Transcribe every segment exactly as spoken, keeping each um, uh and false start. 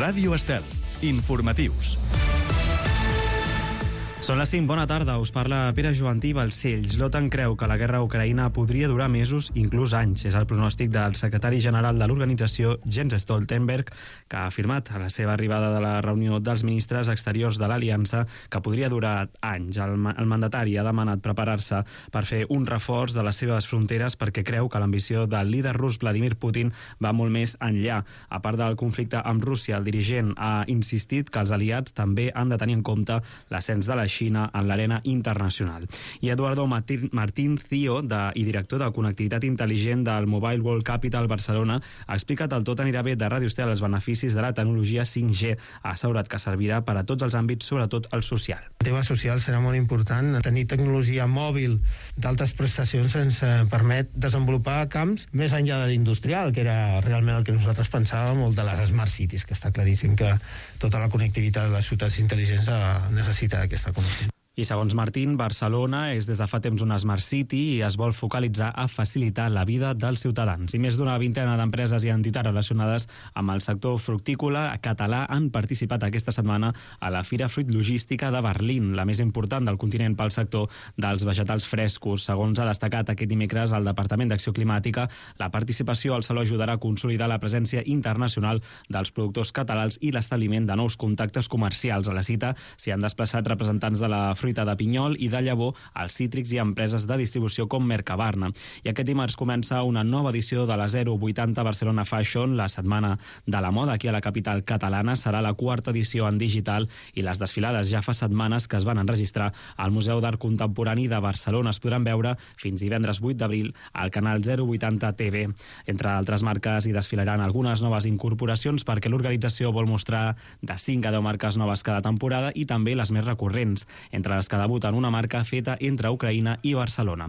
Ràdio Estel. Informatius. Són les cinc, bona tarda, us parla Pere Joantí Balcells. L'OTAN creu que la guerra a Ucraïna podria durar mesos, inclús anys. És el pronòstic del secretari general de l'organització, Jens Stoltenberg, que ha afirmat a la seva arribada de la reunió dels ministres exteriors de l'Aliança que podria durar anys. El, el mandatari ha demanat preparar-se per fer un reforç de les seves fronteres perquè creu que l'ambició del líder rus Vladimir Putin va molt més enllà. A part del conflicte amb Rússia, el dirigent ha insistit que els aliats també han de tenir en compte l'ascens de la Xina en l'arena internacional. I Eduardo Martín Cío, de, i director de Connectivitat Intel·ligent del Mobile World Capital Barcelona, ha explicat el Tot anirà bé de Ràdio Estel els beneficis de la tecnologia cinc G. Ha assegurat que servirà per a tots els àmbits, sobretot el social. El tema social serà molt important. Tenir tecnologia mòbil d'altes prestacions ens permet desenvolupar camps més enllà de l'industrial, que era realment el que nosaltres pensàvem, o de les smart cities, que està claríssim que tota la connectivitat de les ciutats intel·ligents necessita aquesta connexió. I segons Martín, Barcelona és des de fa temps una Smart City i es vol focalitzar a facilitar la vida dels ciutadans. I més d'una vintena d'empreses i entitats relacionades amb el sector fructícola català han participat aquesta setmana a la Fira Fruit Logística de Berlín, la més important del continent pel sector dels vegetals frescos. Segons ha destacat aquest dimecres el Departament d'Acció Climàtica, la participació al Saló ajudarà a consolidar la presència internacional dels productors catalans i l'establiment de nous contactes comercials. A la cita s'hi han desplaçat representants de la fruita de pinyol i de llavor, als cítrics i empreses de distribució com Mercabarna. I aquest dimarts comença una nova edició de la zero vuitanta Barcelona Fashion, la setmana de la moda aquí a la capital catalana. Serà la quarta edició en digital i les desfilades ja fa setmanes que es van enregistrar al Museu d'Art Contemporani de Barcelona. Es podran veure fins divendres vuit d'abril al canal zero vuitanta T V. Entre altres marques hi desfilaran algunes noves incorporacions perquè l'organització vol mostrar de cinc a deu marques noves cada temporada i també les més recurrents, entre les que debuten una marca feta entre Ucraïna i Barcelona.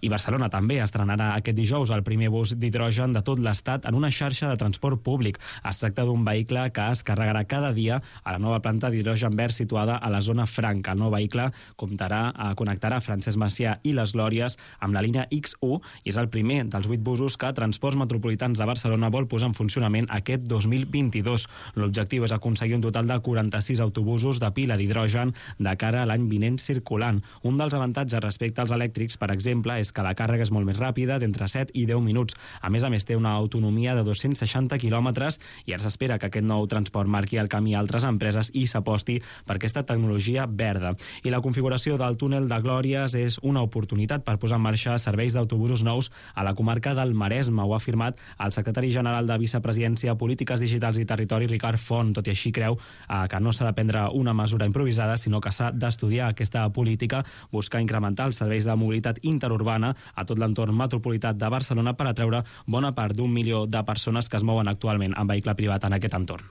I Barcelona també estrenarà aquest dijous el primer bus d'hidrogen de tot l'estat en una xarxa de transport públic. Es tracta d'un vehicle que es carregarà cada dia a la nova planta d'hidrogen verd situada a la zona franca. El nou vehicle comptarà, a connectarà Francesc Macià i les Glòries amb la línia X u i és el primer dels vuit busos que Transports Metropolitans de Barcelona vol posar en funcionament aquest dos mil vint-i-dos. L'objectiu és aconseguir un total de quaranta-sis autobusos de pila d'hidrogen de cara a l'any vinent circulant. Un dels avantatges respecte als elèctrics, per exemple, és que la càrrega és molt més ràpida, d'entre set i deu minuts. A més a més, té una autonomia de dos-cents seixanta quilòmetres i ara s'espera que aquest nou transport marqui el camí a altres empreses i s'aposti per aquesta tecnologia verda. I la configuració del túnel de Glòries és una oportunitat per posar en marxa serveis d'autobusos nous a la comarca del Maresme. Ho ha afirmat el secretari general de Vicepresidència, Polítiques Digitals i Territori, Ricard Font. Tot i així creu eh, que no s'ha de prendre una mesura improvisada, sinó que s'ha d'estudiar aquesta política, buscar incrementar els serveis de mobilitat interurbana a tot l'entorn metropolità de Barcelona per atreure bona part d'un milió de persones que es mouen actualment en vehicle privat en aquest entorn.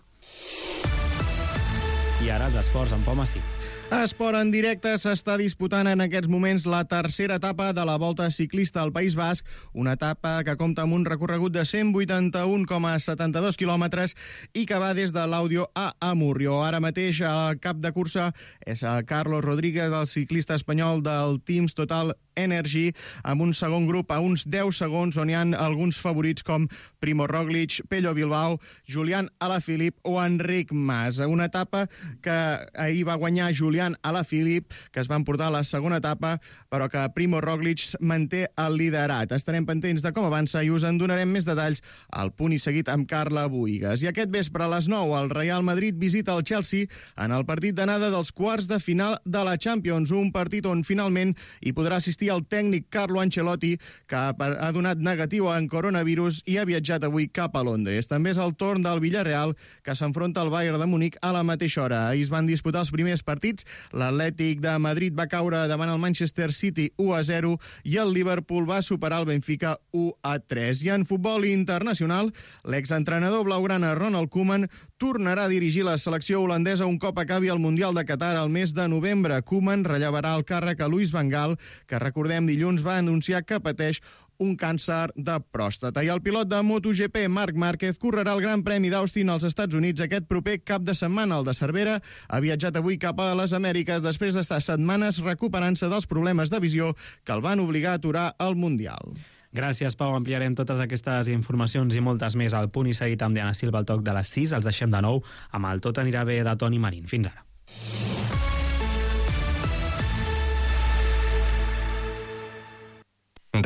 I ara els esports amb Pau Massí. Esport en directe, s'està disputant en aquests moments la tercera etapa de la Volta Ciclista al País Basc, una etapa que compta amb un recorregut de cent vuitanta-un coma setanta-dos quilòmetres i que va des de l'Àudio a Amurrio. Ara mateix el cap de cursa és el Carlos Rodríguez, el ciclista espanyol del Teams Total Energy, amb un segon grup a uns deu segons, on hi ha alguns favorits com Primo Roglic, Pello Bilbao, Julián Alaphilippe o Enric Mas. Una etapa que ahir va guanyar Julián Alaphilippe, que es va emportar a la segona etapa, però que Primo Roglic manté el liderat. Estarem pendents de com avança i us en donarem més detalls al punt i seguit amb Carla Buïgas. I aquest vespre a les nou el Real Madrid visita el Chelsea en el partit d'anada dels quarts de final de la Champions, un partit on finalment hi podrà assistir el tècnic Carlo Ancelotti, que ha donat negatiu en coronavirus i ha viatjat avui cap a Londres. També és el torn del Villarreal, que s'enfronta al Bayern de Múnich a la mateixa hora. Ahir es van disputar els primers partits. L'Atlètic de Madrid va caure davant el Manchester City u a zero i el Liverpool va superar el Benfica u a tres. I en futbol internacional, l'exentrenador blaugrana Ronald Koeman tornarà a dirigir la selecció holandesa un cop acabi el Mundial de Qatar al mes de novembre. Koeman rellevarà el càrrec a Luis Van Gaal, que recordem dilluns va anunciar que pateix un càncer de pròstata. I el pilot de MotoGP, Marc Márquez, correrà el Gran Premi d'Austin als Estats Units aquest proper cap de setmana. El de Cervera ha viatjat avui cap a les Amèriques després d'estar setmanes recuperant-se dels problemes de visió que el van obligar a aturar el Mundial. Gràcies, Pau. Ampliarem totes aquestes informacions i moltes més al Punt i Seguit amb Diana Silva al toc de les sis. Els deixem de nou amb el Tot anirà bé de Toni Marín. Fins ara.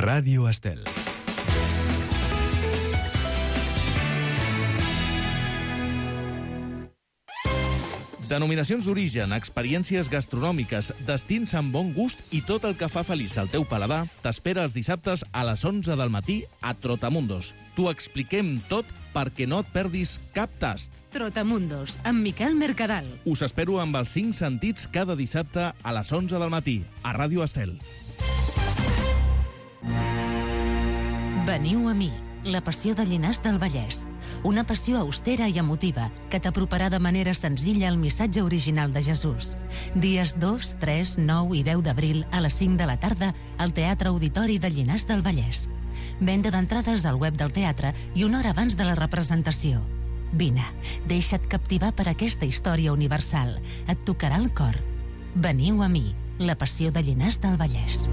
Ràdio Estel. Denominacions d'origen, experiències gastronòmiques, destins amb bon gust i tot el que fa feliç al teu paladar t'espera els dissabtes a les onze del matí a Trotamundos. T'ho expliquem tot perquè no et perdis cap tast. Trotamundos, amb Miquel Mercadal. Us espero amb els cinc sentits cada dissabte a les onze del matí a Ràdio Estel. Veniu a mi, la passió de Llinars del Vallès. Una passió austera i emotiva que t'aproparà de manera senzilla al missatge original de Jesús. Dies dos, tres, nou i deu d'abril a les cinc de la tarda al Teatre Auditori de Llinars del Vallès. Venda d'entrades al web del teatre i una hora abans de la representació. Vine, deixa't captivar per aquesta història universal. Et tocarà el cor. Veniu a mi, la passió de Llinars del Vallès.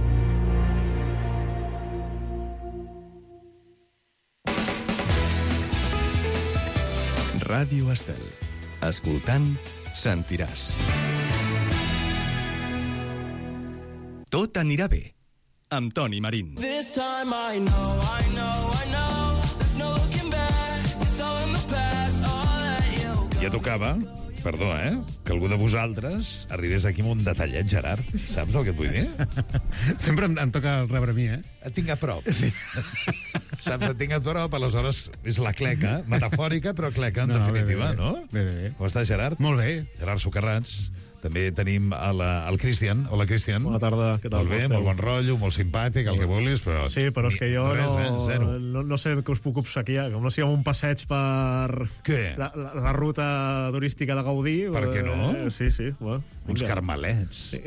Ràdio Estel. Escoltant, sentiràs. Tot anirà bé, amb Toni Marín. This time I know, I know, I know. There's no looking back. It's all in the past. I'll let you go. Ja tocava, perdó, eh, que algú de vosaltres arribés aquí amb un detallet, Gerard. Saps el que et vull dir? Sempre em, em toca rebre a mi, eh? Et tinc a prop. Sí. Saps, et tinc a prop, aleshores és la cleca, metafòrica, però cleca en No, no, definitiva, bé, bé, no? bé, bé, bé. Com està, Gerard? Molt bé. Gerard Socarrats. També tenim a la, el Cristian. Hola, Cristian. Bona tarda, què tal? Molt bé, molt bon rotllo, molt simpàtic, el que vulguis, però... Sí, però és que jo res, no, eh? Zero. no, no sé què us puc obsequiar, com no sigui un passeig per Què? la, la, la ruta turística de Gaudí. Per què no? Eh, sí, sí. Bueno, Uns vinga. carmelets, Sí.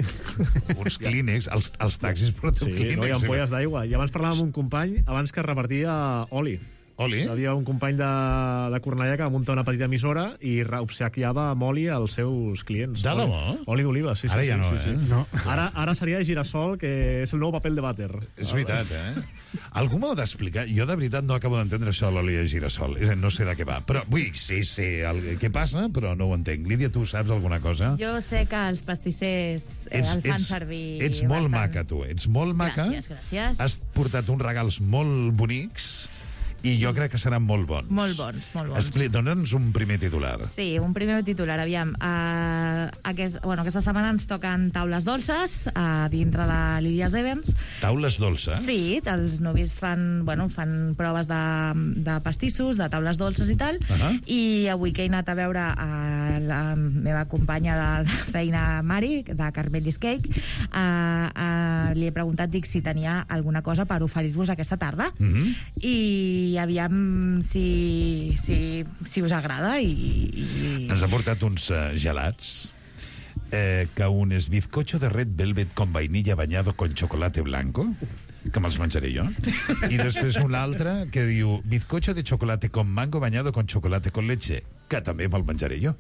uns clínecs, els, els taxis porteu Sí, clínecs. no, hi ha ampolles d'aigua. I abans parlàvem amb un company, abans que repartia oli. Oli? Hi havia un company de, de Cornellà que va muntar una petita emissora i obsequiava amb oli als seus clients. De Oli- debò? Oli d'oliva, sí, sí. Ara ja sí, no, sí, eh? sí. No. Ara, ara seria de girassol, que és el nou paper de vàter. És veritat, eh? Algú m'ho ha d'explicar. Jo, de veritat, no acabo d'entendre això de l'oli de girassol. És a dir, no sé de què va. Però, vull dir, sí, sí, el, què passa, però no ho entenc. Lídia, tu saps alguna cosa? Jo sé que els pastissers eh, el fan servir ets molt bastant. maca, tu. Ets molt maca. Gràcies, gràcies. Has portat uns regals molt bonics i jo crec que seran molt bons. Molt bons, molt bons. Expli- Dóna'ns un primer titular. Sí, un primer titular, aviam. Uh, aquest, bueno, aquesta setmana ens toquen taules dolces a dintre de Lídies Events. Taules dolces? Sí, els novis fan, bueno, fan proves de, de pastissos, de taules dolces i tal, Uh -huh. i avui que he anat a veure a la meva companya de, de feina, Mari, de Carmelis Cake, uh, uh, li he preguntat, dic, si tenia alguna cosa per oferir-vos aquesta tarda. Uh -huh. I aviam si, si, si us agrada i... i... Ens ha portat uns uh, gelats eh, que un és bizcocho de red velvet con vainilla bañado con chocolate blanco, que me'ls menjaré jo, i després un altre que diu bizcocho de chocolate con mango bañado con chocolate con leche, que també me'l menjaré jo.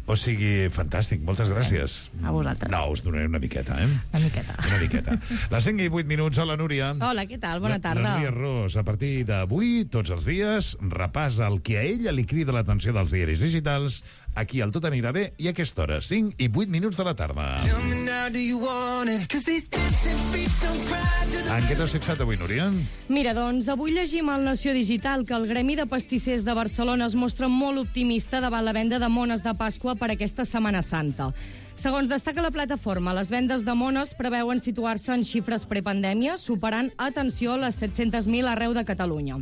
O sigui, fantàstic, moltes gràcies. A vosaltres. No, us donaré una miqueta, eh? Una miqueta. Una miqueta. Les cinc i vuit minuts. Hola, Núria. Hola, què tal? Bona La- tarda. La Núria Ros, a partir d'avui, tots els dies, repàs el que a ella li crida l'atenció dels diaris digitals, aquí al Tot anirà bé, i a aquesta hora, cinc i vuit minuts de la tarda. Tell me now, do you want it? 'Cause these dancing feet don't cry to the... En què t'has fixat avui, Núria? Mira, doncs, avui llegim al Nació Digital que el Gremi de Pastissers de Barcelona es mostra molt optimista davant la venda de mones de Pasqua per aquesta Setmana Santa. Segons destaca la plataforma, les vendes de mones preveuen situar-se en xifres prepandèmia, superant, atenció, les set-cents mil arreu de Catalunya.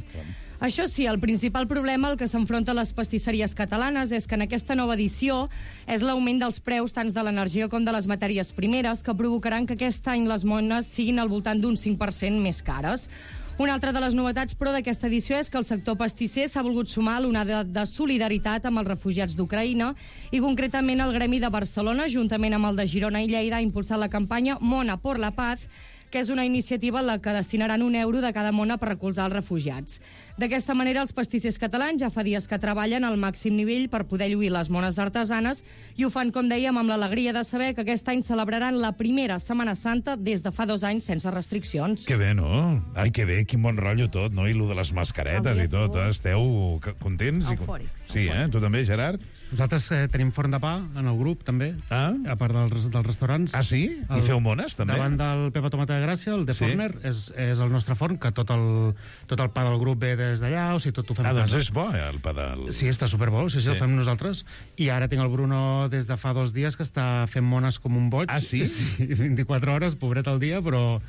Això sí, el principal problema al que s'enfronten les pastisseries catalanes és que en aquesta nova edició és l'augment dels preus tant de l'energia com de les matèries primeres que provocaran que aquest any les mones siguin al voltant d'un cinc per cent més cares. Una altra de les novetats, però, d'aquesta edició és que el sector pastisser s'ha volgut sumar a l'onada de solidaritat amb els refugiats d'Ucraïna i, concretament, el Gremi de Barcelona, juntament amb el de Girona i Lleida, ha impulsat la campanya Mona por la Paz, que és una iniciativa en la que destinaran un euro de cada mona per recolzar els refugiats. D'aquesta manera, els pastissers catalans ja fa dies que treballen al màxim nivell per poder lluir les mones artesanes i ho fan, com dèiem, amb l'alegria de saber que aquest any celebraran la primera Setmana Santa des de fa dos anys sense restriccions. Que bé, no? Ai, que bé, quin bon rotllo tot, no? I lo de les mascaretes Avui i tot, estiu. esteu c- contents? i- Eufòrics. Sí, eh? Tu també, Gerard? Nosaltres eh, tenim forn de pa en el grup, també, Ah? a part dels, dels restaurants. Ah, sí? I feu mones, també? Davant del Pepa Tomata de Gràcia, el de Sí. Forner, és, és el nostre forn, que tot el, tot el pa del grup ve des d'allà, o sigui, tot ho fem Ah, a doncs casa. és bo, eh, el pa del... Sí, està superbo, sí, sí, Sí. el fem nosaltres. I ara tinc el Bruno des de fa dos dies que està fent mones com un boig. Ah, sí? Sí, vint-i-quatre hores, pobret al dia, però,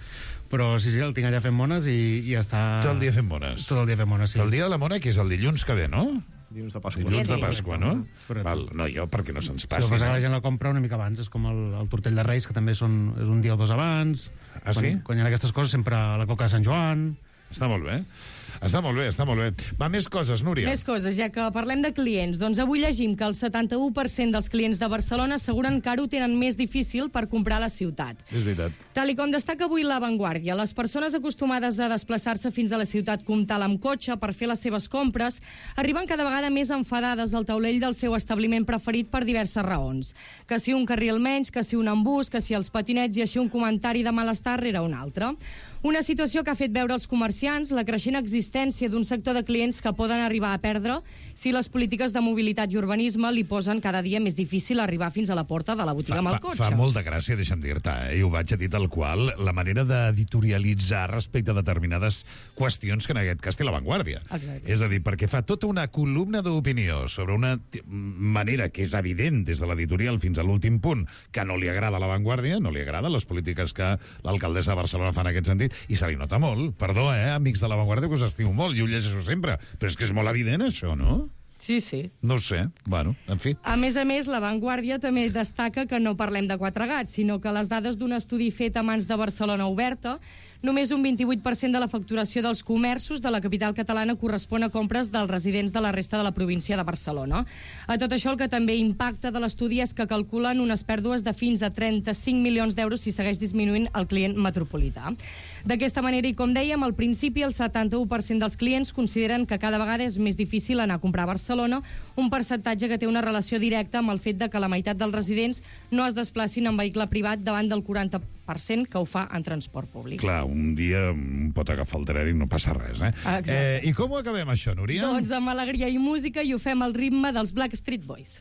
però sí, sí, el tinc allà fent mones i, i està... Tot el dia fent mones. Tot el dia fent mones, sí. El dia de la mona, que és el dilluns que ve, no? Dilluns de Pasqua. Dilluns de Sí. Pasqua, no? Correcte. Val, no, jo, perquè no se'ns Sí, el passi. que passa que no? la gent la compra una mica abans, és com el, el tortell de Reis, que també són, és un dia o dos abans. Ah, sí? Quan, quan hi ha aquestes coses, sempre la coca de Sant Joan... Està molt bé. Està molt bé, està molt bé. Va, més coses, Núria. Més coses, ja que parlem de clients. Doncs avui llegim que el setanta-u per cent dels clients de Barcelona asseguren que ara ho tenen més difícil per comprar a la ciutat. És veritat. Tal i com destaca avui La Vanguardia, les persones acostumades a desplaçar-se fins a la ciutat comtal amb cotxe per fer les seves compres arriben cada vegada més enfadades al taulell del seu establiment preferit per diverses raons. Que si un carril menys, que si un embús, que si els patinets i així un comentari de malestar rere un altre. Una situació que ha fet veure als comerciants la creixent existència d'un sector de clients que poden arribar a perdre si les polítiques de mobilitat i urbanisme li posen cada dia més difícil arribar fins a la porta de la botiga Fa, amb el fa, cotxe. fa molta gràcia, deixa'm dir-te, eh? I ho vaig a dir tal qual, la manera d'editorialitzar respecte a determinades qüestions que en aquest cas té La Vanguardia. Exacte. És a dir, perquè fa tota una columna d'opinió sobre una t- manera que és evident des de l'editorial fins a l'últim punt que no li agrada a La Vanguardia, no li agraden les polítiques que l'alcaldessa de Barcelona fa en aquest sentit, i se li nota molt. Perdó, eh, amics de La Vanguardia, que us estimo molt, i ho llegeixo sempre, però és que és molt evident això, no? Sí, sí. No ho sé. Bueno, en fi. A més a més, La Vanguardia també destaca que no parlem de quatre gats, sinó que les dades d'un estudi fet a mans de Barcelona Oberta, només un vint-i-vuit per cent de la facturació dels comerços de la capital catalana correspon a compres dels residents de la resta de la província de Barcelona. A tot això, el que també impacta de l'estudi és que calculen unes pèrdues de fins a trenta-cinc milions d'euros si segueix disminuint el client metropolità. D'aquesta manera, i com dèiem, al principi el setanta-u per cent dels clients consideren que cada vegada és més difícil anar a comprar a Barcelona, un percentatge que té una relació directa amb el fet de que la meitat dels residents no es desplacin en vehicle privat davant del quaranta per cent que ho fa en transport públic. Clar, un dia un pot agafar el tren i no passa res, eh? Exacte. eh I com ho acabem, això, Núria? Doncs amb alegria i música i ho fem al ritme dels Backstreet Boys.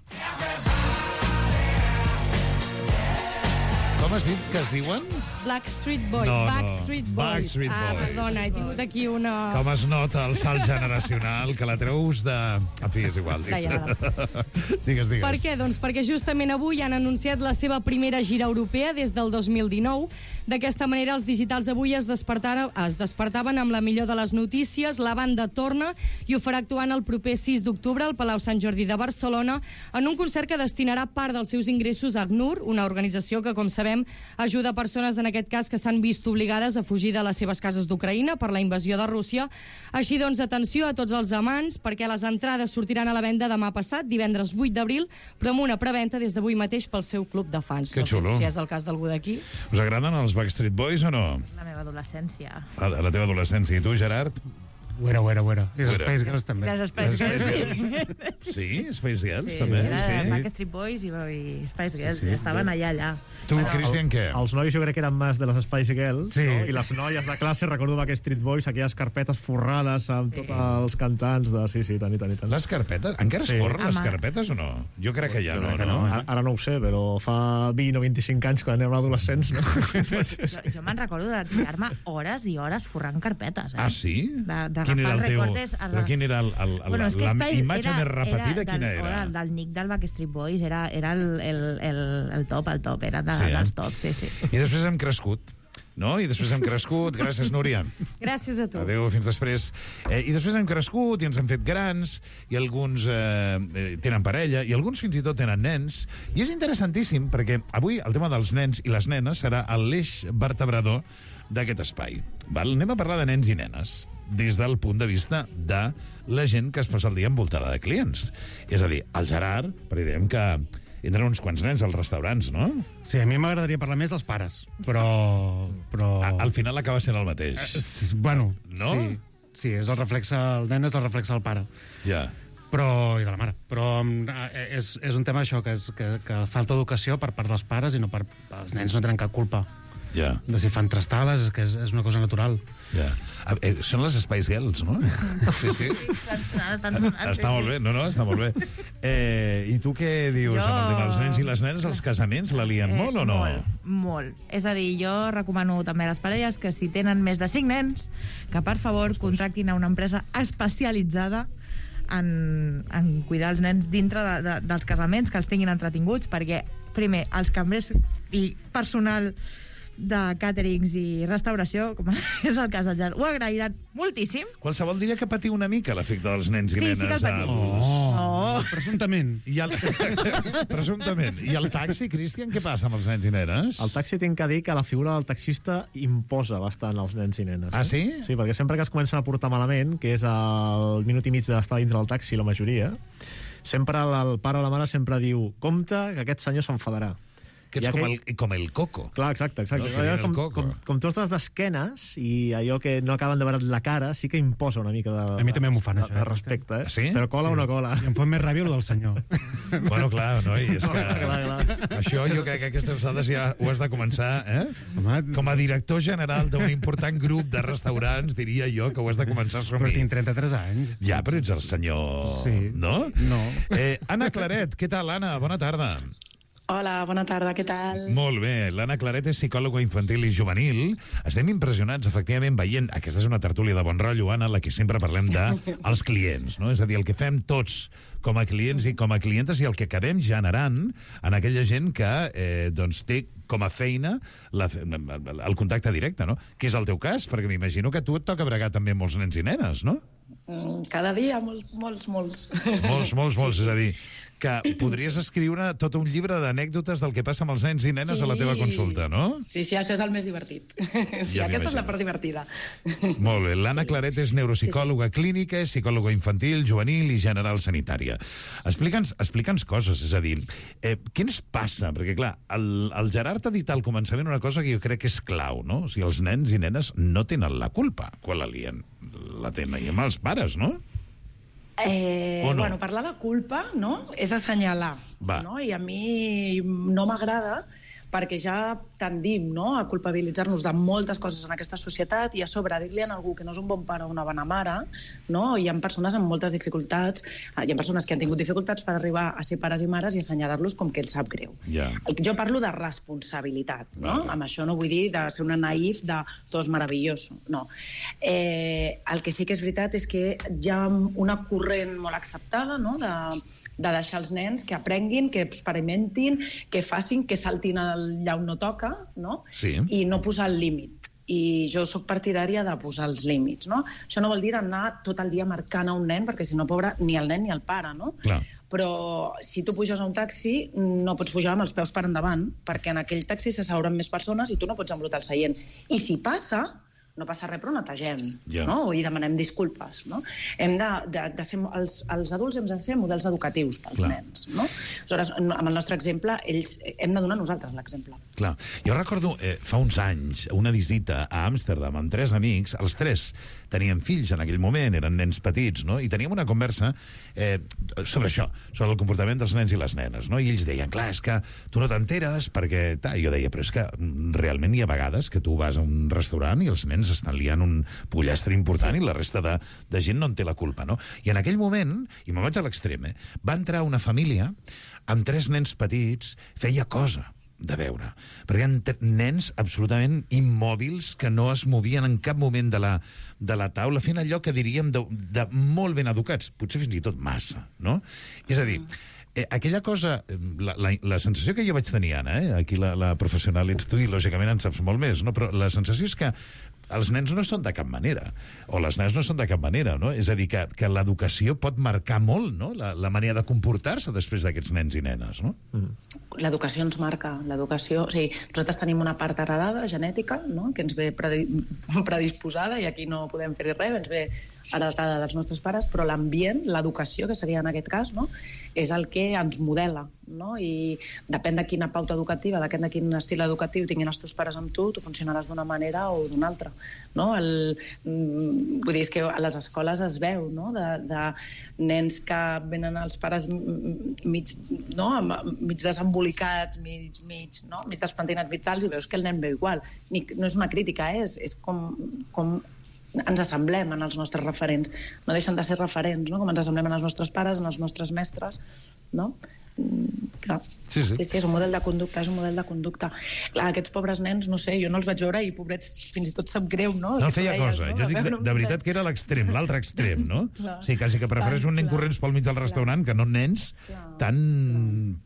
Com has dit que es diuen? Backstreet Boys. No, no. Backstreet Boys. Backstreet ah, Boys. perdona, he tingut aquí una... Com es nota el salt generacional, que la treus de... En fi, és igual. De llarg. digues, digues. Per què? Doncs perquè justament avui han anunciat la seva primera gira europea des del dos mil dinou. D'aquesta manera, els digitals avui es despertaven, es despertaven amb la millor de les notícies. La banda torna i ho farà actuant el proper sis d'octubre al Palau Sant Jordi de Barcelona en un concert que destinarà part dels seus ingressos a ACNUR, una organització que, com sabem, ajuda persones, en aquest cas, que s'han vist obligades a fugir de les seves cases d'Ucraïna per la invasió de Rússia. Així doncs, atenció a tots els amants, perquè les entrades sortiran a la venda demà passat, divendres vuit d'abril, però amb una preventa des d'avui mateix pel seu club de fans. Que no sé xulo. si és el cas d'algú d'aquí. Us agraden els Backstreet Boys o no? La meva adolescència. La, la teva adolescència. I tu, Gerard? Ho era, ho era, ho era. I les Ho era. Spice Girls també. Les Spice Girls, sí. Sí? Spice Girls, Sí, també? era Sí? Backstreet Boys i, i Spice Girls, Sí, estaven sí. allà, allà. Tu, Però- Cristian, què? Els nois jo crec que eren més de les Spice Girls, Sí. no? I les noies de classe, recordo Backstreet Boys, aquelles carpetes forrades amb Sí. tots els cantants de... Sí, sí, tant i tant i tant. Les carpetes? Encara es Sí. forren les Home. carpetes o no? Jo crec que ja Jo no, crec que no? Ara, ara no ho sé, però fa vint o vint-i-cinc anys, quan érem adolescents, no? Jo, jo me'n recordo de tirar-me hores i hores forrant carpetes, eh? Ah, sí? De- d'agafar Quin era el teu... recortes a la- Però quin era el, el, el, Bueno, és que la Spice imatge era- més repetida, era quina del, era? Del, del Nick del Backstreet Boys, era, era el, el, el, el top, el top, era de, Sí, eh? dels tops, sí, sí. I després hem crescut, no? I després hem crescut. Gràcies, Núria. Gràcies a tu. Adéu, fins després. Eh, I després hem crescut i ens hem fet grans, i alguns eh, eh, tenen parella, i alguns fins i tot tenen nens. I és interessantíssim, perquè avui el tema dels nens i les nenes serà l'eix vertebrador d'aquest espai. Val? Anem a parlar de nens i nenes des del punt de vista de la gent que es passa el dia envoltada de clients. És a dir, el Gerard, perquè diem que entren uns quants nens als restaurants, no? Sí, a mi m'agradaria parlar més dels pares, però... però... A, al final acaba sent el mateix. Eh, bueno, no? Sí, sí, és el reflexe, el nen és el reflexe del pare. Ja. Però, i de la mare. Però eh, és, és un tema això, que, és, que, que falta educació per part dels pares i no per... Els nens no tenen cap culpa. Ja. De si fan trastades, que és, és una cosa natural. Ja. Eh, són les Spice Girls, no? Sí, sí. Està molt bé, no, no, està molt bé. Eh, I tu què dius jo... amb el tema dels nens i les nenes? Els casaments la lien eh, molt o no? Molt, molt. És a dir, jo recomano també a les parelles que si tenen més de cinc nens, que per favor contractin a una empresa especialitzada en, en cuidar els nens dintre de, de, dels casaments, que els tinguin entretinguts, perquè, primer, els cambrers i personal de càterings i restauració, com és el cas del Jan, ho agrairan moltíssim. Qualsevol diria que patiu una mica l'efecte dels nens i sí, nenes. Sí, que el patiu. Oh, oh. Presumptament. I el... Presumptament. I el taxi, Cristian, què passa amb els nens i nenes? El taxi tinc que dir que la figura del taxista imposa bastant als nens i nenes. Ah, sí? Sí, perquè sempre que es comencen a portar malament, que és el minut i mig d'estar dintre del taxi, la majoria, sempre el pare o la mare sempre diu compte que aquest senyor s'enfadarà. Que ets com el, com el coco. Clar, exacte, exacte. No, com, coco. Com, com tu estàs d'esquenes i allò que no acaben de veure la cara sí que imposa una mica de, a mi també m'ho fan, de, això, de respecte. Eh? Sí? Però cola sí. o no cola. I em fa més ràbia el del senyor. Bueno, clar, noi, és que... clar, clar. Això jo crec que a aquestes alçades ja ho has de començar, eh? Com a director general d'un important grup de restaurants, diria jo que ho has de començar a assumir. Però tinc trenta-tres anys. Ja, però ets el senyor... Sí. No? No. Eh, Anna Claret, què tal, Anna? Bona tarda. Hola, bona tarda, què tal? Molt bé. L'Anna Claret és psicòloga infantil i juvenil. Estem impressionats, efectivament, veient... Aquesta és una tertúlia de bon rotllo, Anna, en la que sempre parlem dels clients, no? És a dir, el que fem tots com a clients i com a clientes i el que acabem generant en aquella gent que eh, doncs té com a feina la, el contacte directe, no? Que és el teu cas, perquè m'imagino que a tu et toca bregar també amb molts nens i nenes, no? Cada dia, molts, molts, molts. Molts, molts, molts, és a dir... que podries escriure tot un llibre d'anècdotes del que passa amb els nens i nenes sí. a la teva consulta, no? Sí, sí, això és el més divertit. Sí, ja aquesta és la part divertida. Molt bé. L'Anna sí. Claret és neuropsicòloga sí, sí. clínica, és psicòloga infantil, juvenil i general sanitària. Explica'ns explica'ns coses, és a dir, eh, què ens passa? Perquè, clar, el, el Gerard ha dit al començament una cosa que jo crec que és clau, no? O sigui, els nens i nenes no tenen la culpa quan la lien. La tenen els pares, no? Eh, no? Bueno, parlar de culpa, no?, és assenyalar, Va. no? I a mi no m'agrada perquè ja tendim, no?, a culpabilitzar-nos de moltes coses en aquesta societat i a sobre dir-li a algú que no és un bon pare o una bona mare, no? Hi ha persones amb moltes dificultats, hi ha persones que han tingut dificultats per arribar a ser pares i mares i assenyalar-los com que els sap greu. Yeah. Jo parlo de responsabilitat, no? Vale. Amb això no vull dir de ser una naïf de tot és meravelloso, no. Eh, el que sí que és veritat és que hi ha una corrent molt acceptada, no?, de, de deixar els nens que aprenguin, que experimentin, que facin, que saltin allà on no toca, no? Sí. I no posar el límit. I jo sóc partidària de posar els límits, no? Això no vol dir d'anar tot el dia marcant a un nen, perquè si no, pobre, ni el nen ni el pare, no? Clar. Però si tu puges a un taxi, no pots pujar amb els peus per endavant, perquè en aquell taxi s'asseuran més persones i tu no pots embrutar el seient. I si passa, no passa res, però netegem, yeah. no? I demanem disculpes, no? Hem de, de, de ser, els, els adults hem de ser models educatius pels Clar. nens, no? Aleshores, amb el nostre exemple, ells hem de donar nosaltres l'exemple. Clar. Jo recordo eh, fa uns anys una visita a Amsterdam amb tres amics, els tres tenien fills en aquell moment, eren nens petits, no? I teníem una conversa eh, sobre això, sobre el comportament dels nens i les nenes, no? I ells deien, clar, és que tu no t'enteres perquè... Ta, jo deia, però és que realment hi ha vegades que tu vas a un restaurant i els nens estan liant un pollastre important sí. i la resta de, de gent no en té la culpa, no? I en aquell moment, i me'n vaig a l'extrem, eh, va entrar una família amb tres nens petits, feia cosa de veure, perquè eren nens absolutament immòbils que no es movien en cap moment de la, de la taula, fent allò que diríem de, de molt ben educats, potser fins i tot massa, no? És a dir, eh, aquella cosa, la, la, la sensació que jo vaig tenir, Anna, eh? Aquí la, la professional ets tu i lògicament en saps molt més, no? Però la sensació és que els nens no són de cap manera, o les nenes no són de cap manera, no? És a dir, que, que l'educació pot marcar molt, no?, la, la manera de comportar-se després d'aquests nens i nenes, no? Mm. L'educació ens marca, l'educació... O sigui, nosaltres tenim una part heredada, genètica, no?, que ens ve predisposada, i aquí no podem fer res, ens ve heredada dels nostres pares, però l'ambient, l'educació, que seria en aquest cas, no?, és el que ens modela, no? I depèn de quina pauta educativa, depèn de quin estil educatiu tinguin els teus pares amb tu, tu funcionaràs d'una manera o d'una altra, no? El, vull dir, és que a les escoles es veu, no?, de, de nens que venen els pares mig, no?, mig desembolicats, mig, mig, no?, mig despentinats, mig tals, i veus que el nen veu igual. Ni, no és una crítica, eh? és, és com, com ens assemblem en els nostres referents. No deixen de ser referents, no?, com ens assemblem en els nostres pares, en els nostres mestres, no? Mm, clar. Sí, sí. sí, sí, és un model de conducta, és un model de conducta. Clar, aquests pobres nens, no sé, jo no els vaig veure i pobrets fins i tot sap greu, no? No feia cosa, no? Jo dic de, de veritat que era l'extrem, l'altre extrem, no? Clar. Sí, quasi que prefereix un nen corrents pel mig del restaurant que no nens clar. tan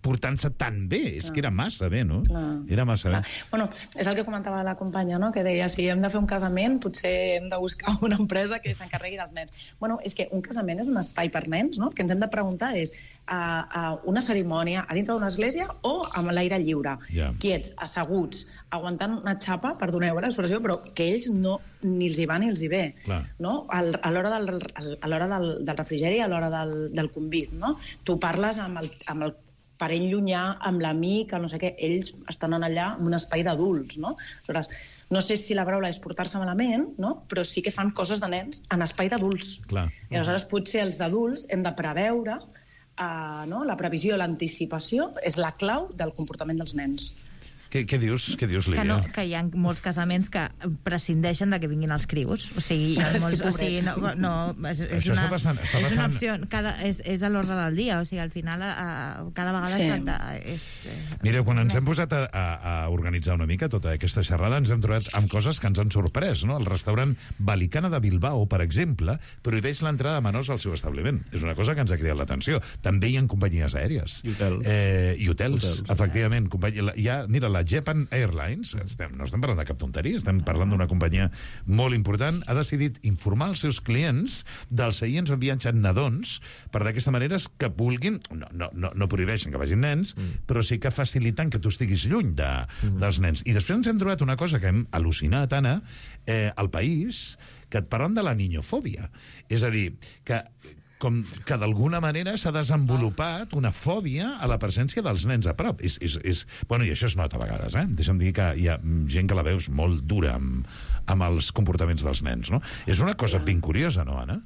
portant-se tan bé. Clar. És que era massa bé, no? Clar. Era massa clar. bé. Bueno, és el que comentava la companya, no?, que deia, si hem de fer un casament, potser hem de buscar una empresa que s'encarregui dels nens. Bueno, és que un casament és un espai per nens, no? El que ens hem de preguntar és a, a una cerimònia a dintre d'una església o amb l'aire lliure, yeah. quiets, asseguts, aguantant una xapa, perdoneu l'expressió, però que ells no, ni els hi va ni els hi ve, Clar. no? Al, a l'hora del, a l'hora del, del refrigeri, a l'hora del, del convit, no? Tu parles amb el, amb el parent llunyà, amb l'amic, no sé què, ells estan allà en un espai d'adults, no? Aleshores, no sé si la paraula és portar-se malament, no? Però sí que fan coses de nens en espai d'adults. I aleshores potser els d'adults hem de preveure Uh, no? La previsió, l'anticipació és la clau del comportament dels nens. Què, què dius, què dius, Lídia? Que, no, que hi ha molts casaments que prescindeixen de que vinguin els crios. O sigui, hi ha molts, sí, o sigui no, no, és, és, una, passant, és una opció. Cada, és, és a l'ordre del dia. O sigui, al final, a, cada vegada sí. es tracta... És, és, Mireu, quan ens hem posat a, a, a organitzar una mica tota aquesta xerrada, ens hem trobat amb coses que ens han sorprès, no? El restaurant Balicana de Bilbao, per exemple, prohibeix l'entrada de menors al seu establiment. És una cosa que ens ha cridat l'atenció. També hi ha companyies aèries. I hotels. Eh, I hotels, hotels efectivament. Companyia, hi ha, mira, la Japan Airlines, estem, no estem parlant de cap tonteria, estem parlant d'una companyia molt important, ha decidit informar els seus clients dels seients on viatgen nadons, per d'aquesta manera que vulguin, no, no, no, no prohibeixen que vagin nens, mm. però sí que faciliten que tu estiguis lluny de, mm. dels nens. I després ens hem trobat una cosa que hem al·lucinat, Anna, eh, al País, que et parlen de la niñofòbia. És a dir, que com que d'alguna manera s'ha desenvolupat una fòbia a la presència dels nens a prop. És, és, és... Bueno, i això es nota a vegades, eh? Deixa'm dir que hi ha gent que la veus molt dura amb, amb els comportaments dels nens, no? És una cosa ben curiosa, no, Anna?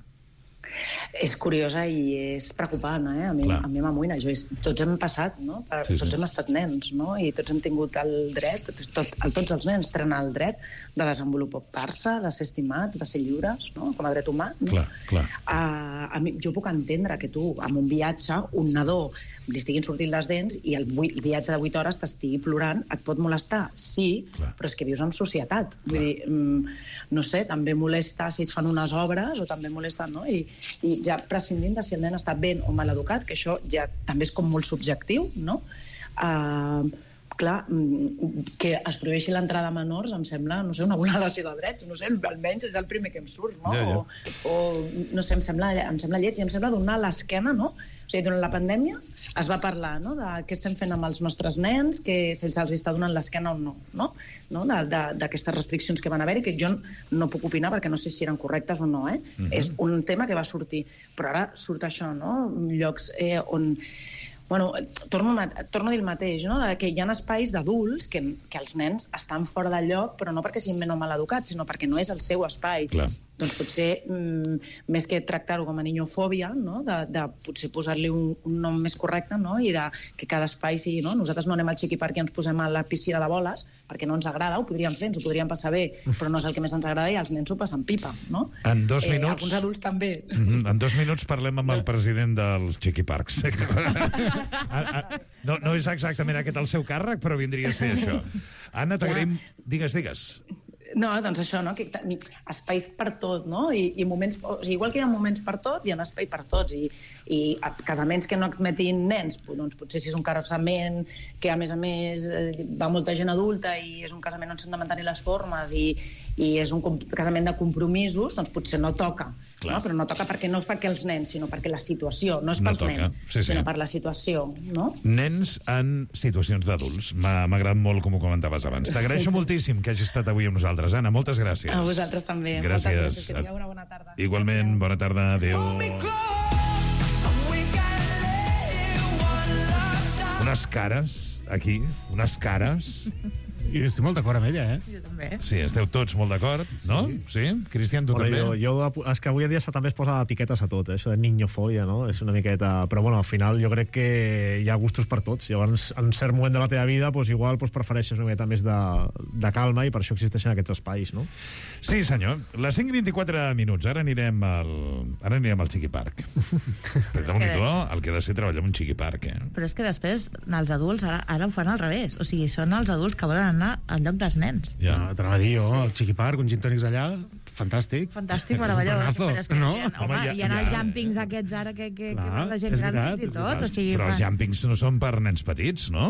És curiosa i és preocupant, eh? A mi, a mi m'amoïna. Jo, tots hem passat, no? Per, sí, sí. Tots hem estat nens, no? I tots hem tingut el dret, tot, tots els nens tenen el dret de desenvolupar-se, de ser estimats, de ser lliures, no? Com a dret humà, no? Clar, clar. Uh, a mi, jo puc entendre que tu, en un viatge, un nadó li estiguin sortint les dents i el, el viatge de vuit hores t'estigui plorant, et pot molestar? Sí, clar. Però és que vius en societat. Clar. Vull dir, mm, no sé, també molesta si et fan unes obres o també molesta, no? I, i ja prescindint de si el nen està ben o mal educat, que això ja també és com molt subjectiu, no? Uh, clar, que es prohibeixi l'entrada de menors em sembla, no sé, una vulneració de drets, no sé, almenys és el primer que em surt, no? Ja, ja. O, o, no sé, em sembla, em sembla lleig i em sembla donar l'esquena, no? O sigui, durant la pandèmia es va parlar, no?, de què estem fent amb els nostres nens, que se'ls està donant l'esquena o no, no? no? D'aquestes restriccions que van haver-hi, que jo no puc opinar perquè no sé si eren correctes o no, eh? Uh-huh. És un tema que va sortir. Però ara surt això, no? Llocs eh, on... Bueno, torno, torno a dir el mateix, no? Que hi ha espais d'adults que, que els nens estan fora del lloc, però no perquè siguin ben o mal educats, sinó perquè no és el seu espai. Clar. Doncs potser, mm, més que tractar-ho com a niñofòbia, no? de, de potser posar-li un, un nom més correcte, no? I de que cada espai sigui... No? Nosaltres no anem al Chiqui Park i ens posem a la piscina de boles perquè no ens agrada, ho podríem fer, ens ho podríem passar bé, però no és el que més ens agrada i els nens ho passen pipa, no? En dos minuts... Eh, alguns adults també. Mm-hmm. En dos minuts parlem amb el president dels Chiqui Parks. no, no és exactament aquest el seu càrrec, però vindria a ser això. Anna, t'agraïm... Digues, digues. No, doncs això, no? Que, espais per tot, no? I, i moments, o sigui, igual que hi ha moments per tot, hi ha espai per tots. I, i casaments que no admetin nens, doncs potser si és un casament que, a més a més, va molta gent adulta i és un casament on s'han de mantenir les formes i, i és un casament de compromisos, doncs potser no toca. No? Però no toca perquè no és perquè els nens, sinó perquè la situació, no és pels no nens, sí, sí. sinó per la situació, no? Nens en situacions d'adults. M'ha agradat molt com ho comentaves abans. T'agraeixo moltíssim que hagis estat avui amb nosaltres. Anna, moltes gràcies. A vosaltres també. Gràcies. Moltes gràcies. Que tingueu una bona tarda. Igualment, bona tarda. Adéu. Unes cares, aquí, unes cares... I estic molt d'acord amb ella, eh? Jo també. Sí, esteu tots molt d'acord, no? Sí? Cristian, tu bueno, també? Jo, jo, és que avui en dia també es posa etiquetes a tot, eh? Això de niñofòbia, no? És una miqueta... Però, bueno, al final jo crec que hi ha gustos per tots. Llavors, en cert moment de la teva vida, doncs, igual doncs, prefereixes una miqueta més de, de calma i per això existeixen aquests espais, no? Sí, senyor. Les cinc i vint-i-quatre minuts. Ara anirem al, ara anirem al Chiqui Park. Però déu-n'hi-do el que ha de ser treballar en un Chiqui Park, eh? Però és que després, els adults, ara, ara ho fan al revés. O sigui, són els adults que volen anar al lloc dels nens. Ja, t'anava a dir jo, al Chiqui Park, un gin tònics allà, fantàstic. Fantàstic, meravellós. Però és que no? hi ha, home, hi ha, els jumpings aquests ara que, que, Clar, que van la gent gran fins i tot. O sigui, Però els fa... jumpings no són per nens petits, no?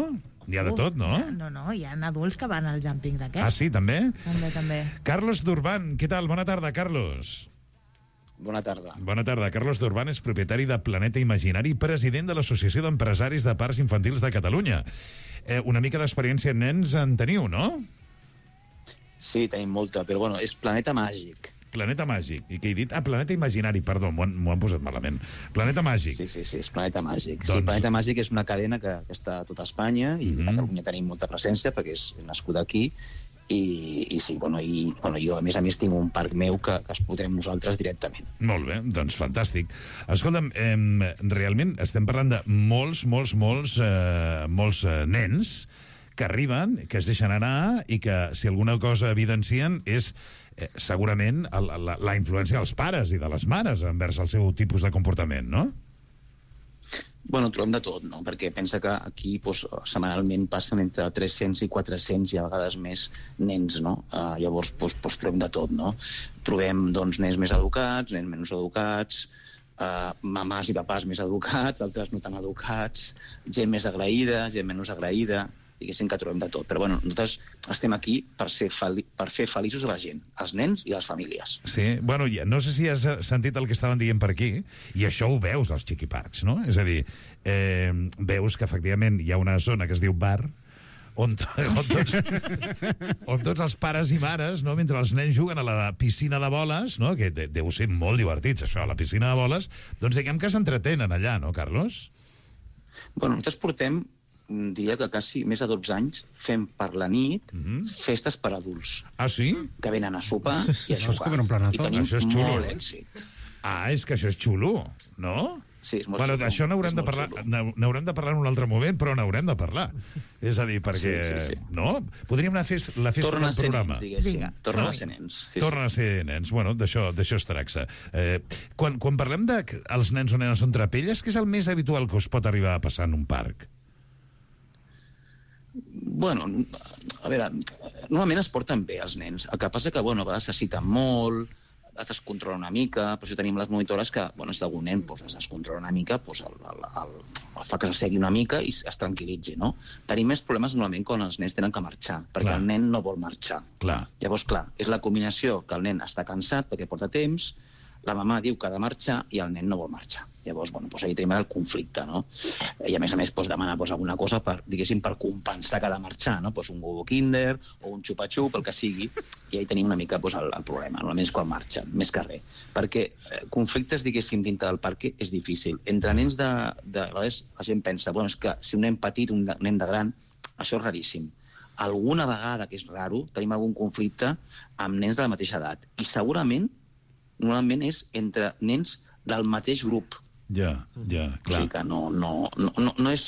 Hi ha de tot, no? No, no, hi ha adults que van als jumpings aquests. Ah, sí, també? També, també. Carlos Durban, què tal? Bona tarda, Carlos. Bona tarda. Bona tarda. Carlos Durban és propietari de Planeta Imaginari i president de l'Associació d'Empresaris de Parcs Infantils de Catalunya. Eh, una mica d'experiència en nens en teniu, no? Sí, tenim molta, però bueno, és Planeta Màgic. Planeta Màgic. I què he dit? Ah, Planeta Imaginari, perdó, m'ho han, han posat malament. Planeta Màgic. Sí, sí, sí, és Planeta Màgic. Doncs... Sí, Planeta Màgic és una cadena que, que està a tota Espanya i Mm-hmm. a Catalunya tenim molta presència perquè és nascut aquí i, i sí, bueno, i, bueno, jo a més a més tinc un parc meu que, que explotem nosaltres directament. Molt bé, doncs fantàstic. Escolta'm, eh, realment estem parlant de molts, molts, molts, eh, molts eh, nens que arriben, que es deixen anar i que, si alguna cosa evidencien, és eh, segurament el, la, la influència dels pares i de les mares envers el seu tipus de comportament, no? Bueno, trobem de tot, no? Perquè pensa que aquí doncs, setmanalment passen entre tres-cents i quatre-cents i a vegades més nens, no? Uh, llavors doncs, doncs, trobem de tot, no? Trobem doncs, nens més educats, nens menys educats, uh, mamàs i papàs més educats, altres no tan educats, gent més agraïda, gent menys agraïda, diguéssim que trobem de tot. Però bueno, nosaltres estem aquí per, ser feli per fer feliços a la gent, als nens i a les famílies. Sí, bueno, ja, no sé si has sentit el que estaven dient per aquí, i això ho veus als Chiqui Parks, no? És a dir, eh, veus que efectivament hi ha una zona que es diu bar, on, on, tots, on tots els pares i mares, no, mentre els nens juguen a la piscina de boles, no, que de, deu ser molt divertits, això, a la piscina de boles, doncs diguem que s'entretenen allà, no, Carlos? Bueno, nosaltres portem diria que quasi més de dotze anys fem per la nit mm-hmm. festes per adults. Ah, sí? Que venen a sopar i a no, jugar. I tenim això és xulo. molt èxit. Ah, és que això és xulo, no? Sí, és molt bueno, xulo. D'això n'haurem de parlar, n'haurem de parlar en un altre moment, però n'haurem de parlar. És a dir, perquè... Sí, sí, sí. No? Podríem anar a fer la festa Tornen del programa. Tornen a ser nens, Tornen no? a ser nens. Sí, Tornen sí. a ser nens. Bueno, d'això es tracta. Eh, quan, quan parlem de que els nens o nenes són trapelles, què és el més habitual que us pot arribar a passar en un parc? Bueno, a veure, normalment es porten bé els nens. El que passa que, bueno, a vegades se citen molt, es descontrola una mica, per això tenim les monitores que, bueno, si algun nen pues, es descontrola una mica, pues, el, el, el, el fa que segui una mica i es tranquil·litzi, no? Tenim més problemes normalment quan els nens tenen que marxar, perquè clar. El nen no vol marxar. Clar. Llavors, clar, és la combinació que el nen està cansat perquè porta temps, la mamà diu que ha de marxar i el nen no vol marxar. Llavors, bueno, doncs ahí tenim el conflicte, no? I a més a més doncs, demana doncs, alguna cosa per, diguéssim, per compensar que ha de marxar, no? Doncs un huevo Kinder o un xupa-xup, el que sigui, i ahí tenim una mica doncs, el, el problema, normalment és quan marxen, més que res. Perquè eh, conflictes, diguéssim, dintre del parc és difícil. Entre nens de... de a vegades la gent pensa, bueno, és que si un nen petit, un nen de gran, això és raríssim. Alguna vegada, que és raro, tenim algun conflicte amb nens de la mateixa edat. I segurament normalment és entre nens del mateix grup. Ja, ja, clar. O sigui que no, no, no, no, no és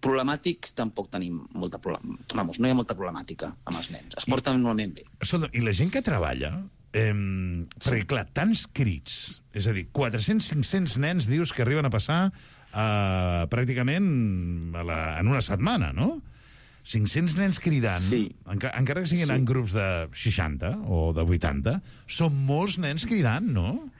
problemàtic, tampoc tenim molta problemàtica. Vamos, no hi ha molta problemàtica amb els nens. Es porten I, normalment bé. Escolta, i la gent que treballa, eh, sí. perquè clar, tants crits, és a dir, quatre-cents cinc-cents nens dius que arriben a passar eh, pràcticament a la, en una setmana, no? cinc-cents nens cridant, Sí. enca encara que siguin Sí. en grups de seixanta o de vuitanta, són molts nens cridant, no?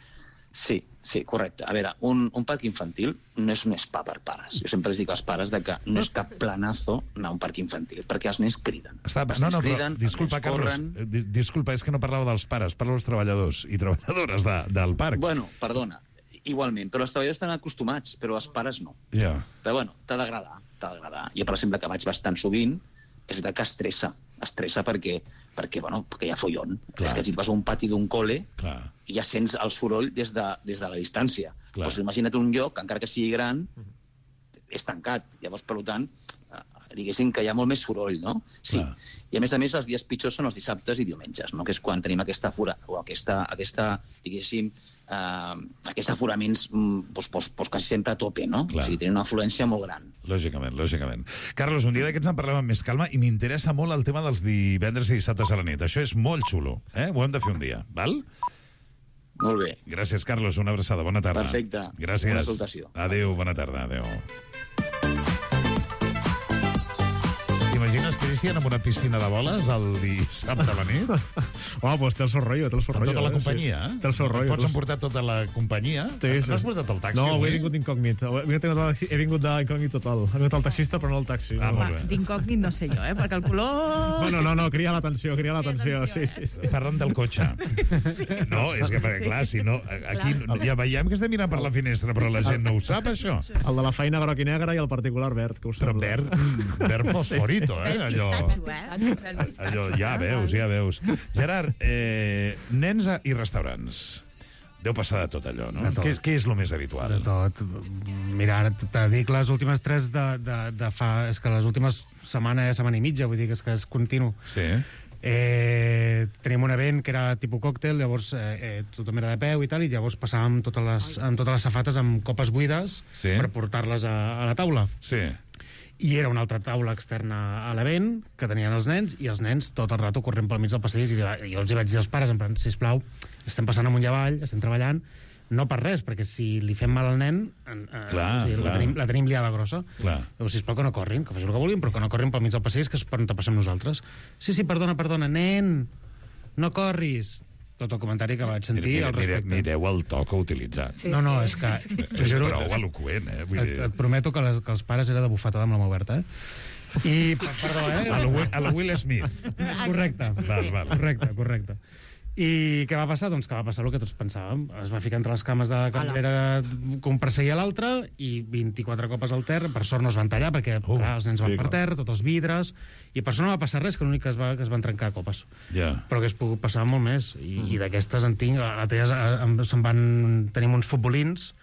Sí, sí, correcte. A veure, un, un parc infantil no és un spa per pares. Jo sempre els dic als pares de que no és cap planazo anar a un parc infantil, perquè els nens criden. Està, els no, nens no, però, criden, disculpa, els nens Carlos, corren. eh, di- disculpa, és que no parlava dels pares, parlo dels treballadors i treballadores de, del parc. Bueno, perdona, igualment, però els treballadors estan acostumats, però els pares no. Ja. Però bueno, t'ha d'agradar, t'ha d'agradar. Jo, per exemple, que vaig bastant sovint, és veritat que estressa, estressa perquè, perquè, bueno, perquè hi ha follon. Clar. És que si et vas a un pati d'un col·le Clar. i ja sents el soroll des de, des de la distància. Clar. Doncs imagina't un lloc, encara que sigui gran, és tancat. Llavors, per tant, eh, diguéssim que hi ha molt més soroll, no? Sí. Clar. I a més a més, els dies pitjors són els dissabtes i diumenges, no? Que és quan tenim aquesta fura, o aquesta, aquesta diguéssim, eh, aquests aforaments mm, doncs, doncs, doncs quasi sempre a tope, no? Clar. O sigui, tenen una afluència molt gran. Lògicament, lògicament. Carlos, un dia d'aquests en parlem amb més calma i m'interessa molt el tema dels divendres i dissabtes a la nit. Això és molt xulo, eh? Ho hem de fer un dia, val? Molt bé. Gràcies, Carlos. Una abraçada. Bona tarda. Perfecte. Gràcies. Una salutació. Adéu, bona tarda. Adéu. T'imagines, Cristian, amb una piscina de boles el dissabte a la nit? Home, doncs té el seu rotllo, té el seu Amb rotllo. tota la eh? companyia? Sí. Té el seu rotllo. Pots emportar tota la companyia? Sí, sí. No has portat el taxi? No, avui avui? he vingut incògnit. Avui he vingut, de- he vingut d'incògnit total. He vingut al taxista, però no al taxi. Ah, no. molt bé. D'incògnit no sé jo, eh? Perquè el color... Bueno, no, no, cria l'atenció, cria l'atenció. Sí, sí, sí. Parlen del cotxe. No, és que, perquè, clar, si no... Aquí ja veiem que estem mirant per la finestra, però la gent no ho sap, això. El de la feina groc i negre i el particular verd, que ho Però sembla. verd, verd fosforito, eh? Allò, allò, ja veus, ja veus. Gerard, eh, nens a- i restaurants. Deu passar de tot allò, no? De tot. Què, és- què és el més habitual? De tot. Mira, ara te dic les últimes tres de, de, de fa... És que les últimes setmana, setmana i mitja, vull dir que és que és continu. Sí. Eh, teníem un event que era tipus còctel, llavors eh, eh, tothom era de peu i tal, i llavors passàvem totes les, amb totes les safates amb copes buides Sí. per portar-les a, a la taula. Sí. I era una altra taula externa a l'event que tenien els nens, i els nens tot el rato corrent pel mig del passadís, i jo els hi vaig dir als pares, en plan, sisplau, estem passant amunt i avall, estem treballant, no per res, perquè si li fem mal al nen, eh, Clar, o sigui, clar. la, tenim, la tenim liada grossa. Clar. Llavors, sisplau, que no corrin, que facin el que vulguin, però que no corrin pel mig del passadís, que és per on te passem nosaltres. Sí, sí, perdona, perdona, nen, no corris. Tot el comentari que vaig sentir Mire, al mire, respecte. mireu el to que ha utilitzat. Sí, no, no, sí. és que... És t'ho juro, prou eloqüent, eh? Vull et, dir... et prometo que, les, que els pares era de bufetada amb la mà oberta, eh? I, perdó, eh? A la Will, a la Will Smith. Correcte. Sí, val, val. Correcte, correcte. I què va passar? Doncs que va passar el que tots pensàvem. Es va ficar entre les cames de la cambrera que un perseguia l'altre i vint-i-quatre copes al terra. Per sort no es van tallar perquè Uh, clar, els nens van sí, per clar. terra, tots els vidres, i per sort no va passar res, que l'únic que es, va, que es van trencar copes. Ja. Però que es pogut passar molt més. I, mm. i d'aquestes en tinc... L'altre dia eh, em- se'n van... Tenim uns futbolins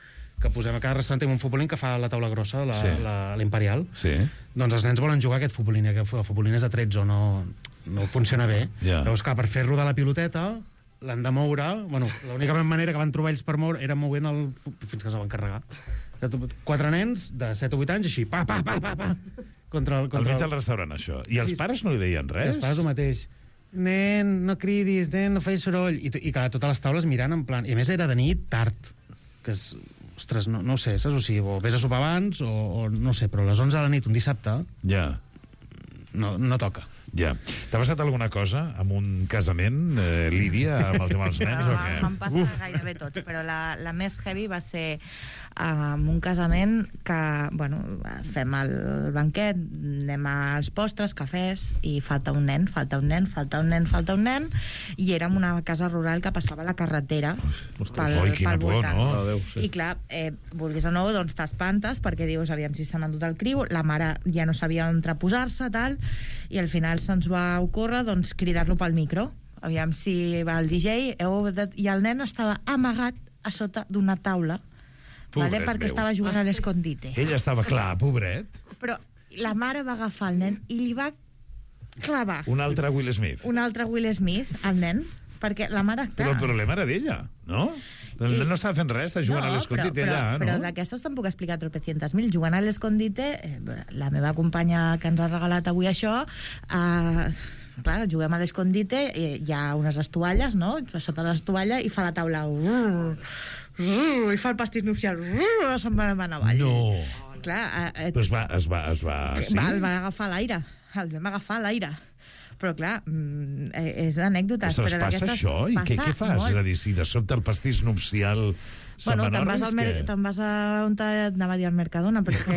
que posem a cada restaurant, tenim un futbolín que fa la taula grossa, la, Sí. la, l'imperial. Sí. Doncs els nens volen jugar a aquest futbolín, i aquest futbolín és de tretze, no, no funciona bé. Ja. Llavors, clar, per fer rodar la piloteta, l'han de moure... Bueno, l'única manera que van trobar ells per moure era movent el... fins que se van carregar. Quatre nens de set o vuit anys, així, pa, pa, pa, pa, pa, contra el... Al Contra mig del restaurant, això. I els Sí, pares no li deien I res? els pares el mateix. Nen, no cridis, nen, no facis soroll. I, i clar, totes les taules mirant en plan... I a més era de nit tard, que és... Ostres, no, no ho sé, saps? O sigui, o vés a sopar abans, o, o no sé, però a les onze de la nit, un dissabte, Ja. no, no toca. Ja. T'ha passat alguna cosa amb un casament, eh, Lídia, amb el tema dels nens, o què? Em passa gairebé tot, però la, la més heavy va ser amb um, un casament que, bueno, fem el banquet, anem als postres, cafès, i falta un nen, falta un nen, falta un nen, falta un nen, i érem una casa rural que passava la carretera pel, Oi, quina pel por, voltant. no? Adéu, sí. I clar, eh, vulguis o no, doncs t'espantes perquè dius, aviam si se n'ha endut el criu, la mare ja no sabia on posar-se, tal, i al final se'ns va ocórrer doncs, cridar-lo pel micro. Aviam si va el D J, heu de... i el nen estava amagat a sota d'una taula, vale? Pobret Perquè meu. estava jugant a l'escondite. Ell estava clar, pobret. Però la mare va agafar el nen i li va clavar Un altre Will Smith. un altre Will Smith al nen, perquè la mare... Però el problema era d'ella, no? El nen no estava fent res, estava jugant a l'escondite però, allà, però, no? Però d'aquestes tampoc he explicat tropecientas mil. Jugant a l'escondite, eh, la meva companya que ens ha regalat avui això, eh, clar, juguem a l'escondite, eh, hi ha unes estovalles, no? Sota l'estovalla, i fa la taula... Uh, uh, I fa el pastís nupcial... Uh, se'n va anar avall. No. Clar, eh, Però es va... Es va, es va sí? va, el van agafar a l'aire. el vam agafar a l'aire. Però, clar, és d'anècdotes. Ostres, passa això? I què, què fas? Molt. És a dir, si de sobte el pastís nupcial se'n bueno, va te'n vas, al mer que... te'n vas a on t'anava a dir al Mercadona, perquè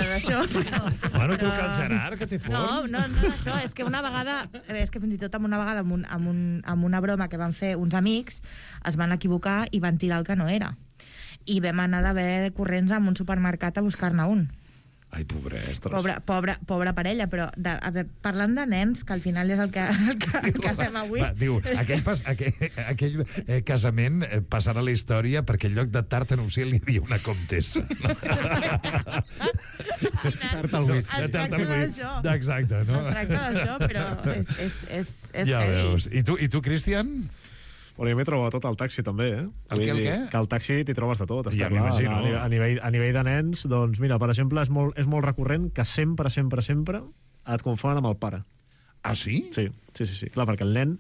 d'això... Però, bueno, però... truca al Gerard, que té forn. No, no, no, això, és que una vegada, és que fins i tot amb una vegada, amb, un, amb, un, amb una broma que van fer uns amics, es van equivocar i van tirar el que no era. I vam anar d'haver corrents a un supermercat a buscar-ne un. Ai, pobres. Pobra, pobra, pobra parella, però de, a veure, parlant de nens, que al final és el que, el que, el que fem avui... Va, diu, aquell, pas, aquell, aquell eh, casament eh, passarà a la història perquè en lloc de tarta nupcial hi havia una comtessa. No? Tarta al whisky. Es tracta d'això. Exacte, no? Es tracta d'això, però és, és, és, és ja heavy. veus. I tu, i tu Cristian? Bueno, jo m'he trobat tot al taxi, també, eh? El què, el què? Que al taxi t'hi trobes de tot, està Ja clar. m'imagino. A, a, nivell, a nivell de nens, doncs, mira, per exemple, és molt, és molt recurrent que sempre, sempre, sempre et confonen amb el pare. Ah, sí? Sí, sí, sí, sí. Clar, perquè el nen...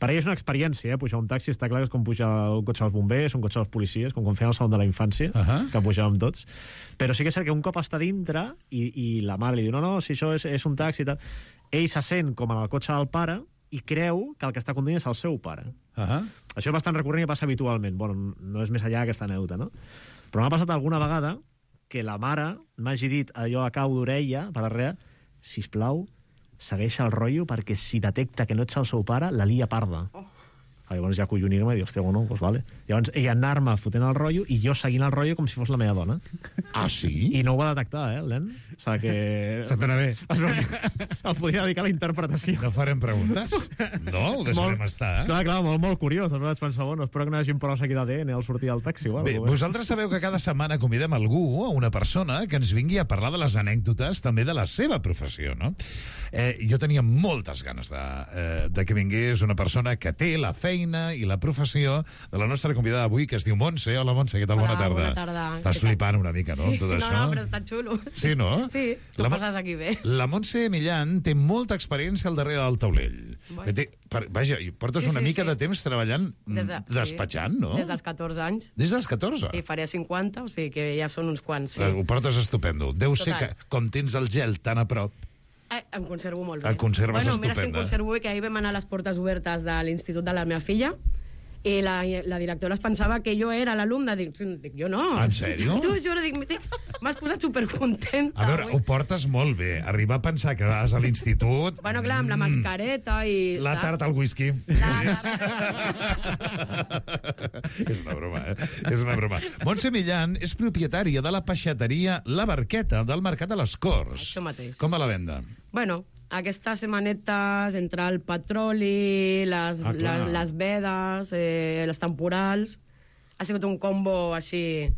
Per ell és una experiència, eh? Pujar un taxi, està clar que és com pujar un cotxe dels bombers, un cotxe dels policies, com quan feien el saló de la infància, uh -huh. que pujàvem tots. Però sí que és cert que un cop està dintre i, i la mare li diu, no, no, si això és, és un taxi i tal, ell se sent com en el cotxe del pare i creu que el que està conduint és el seu pare. Uh -huh. Això és bastant recurrent i passa habitualment. Bueno, no és més allà aquesta anècdota, no? Però m'ha passat alguna vegada que la mare m'hagi dit allò a cau d'orella, per darrere, sisplau, segueix el rotllo perquè si detecta que no ets el seu pare, la lia parda. Oh. Llavors ja collonir-me i dir, hòstia, bueno, doncs vale. Llavors ella anar-me fotent el rotllo i jo seguint el rotllo com si fos la meva dona. Ah, sí? I no ho va detectar, eh, el nen? O sigui que... Se t'anà bé. El podia dedicar a la interpretació. No farem preguntes? No, ho deixarem molt, estar. Eh? Clar, clar, molt, molt curiós. Després vaig pensar, bueno, espero que no hi hagi proves aquí d'A D N al sortir del taxi. Igual, Bé, vosaltres sabeu que cada setmana convidem algú, una persona, que ens vingui a parlar de les anècdotes també de la seva professió, no? Eh, jo tenia moltes ganes de, eh, de que vingués una persona que té la feina i la professió de la nostra convidada avui, que es diu Montse. Hola, Montse, què tal? Hola, bona tarda. bona tarda. Estàs flipant una mica, no, sí, amb tot no, això? No, però està xulo. Sí, no? Sí, tu la, passes aquí bé. La Montse Millán té molta experiència al darrere del taulell. Bueno. Té, per, vaja, portes sí, una sí, mica sí. de temps treballant Des de, despatxant, sí. no? Des dels catorze anys. Des dels catorze? I faré cinquanta, o sigui que ja són uns quants, sí. Ho portes estupendo. Deu Total. ser que, com tens el gel tan a prop, Eh, em conservo molt bé. Et conserves bueno, estupenda. Mira si em conservo bé, que ahir vam anar a les portes obertes de l'institut de la meva filla i la, la directora es pensava que jo era l'alumne. Dic, dic, jo no. En sèrio? T'ho juro, dic, m'has posat supercontenta. a veure, avui. ho portes molt bé. Arribar a pensar que vas a l'institut... Bueno, clar, amb la mascareta i... La saps? tarta al whisky. La, És una broma, eh? És una broma. Montse Millán és propietària de la peixateria La Barqueta del Mercat de les Corts. Això mateix. Com va la venda? Bueno, aquestes setmanetes entre el petroli, les, Ah, clar. les, les vedes, eh, les temporals, ha sigut un combo així...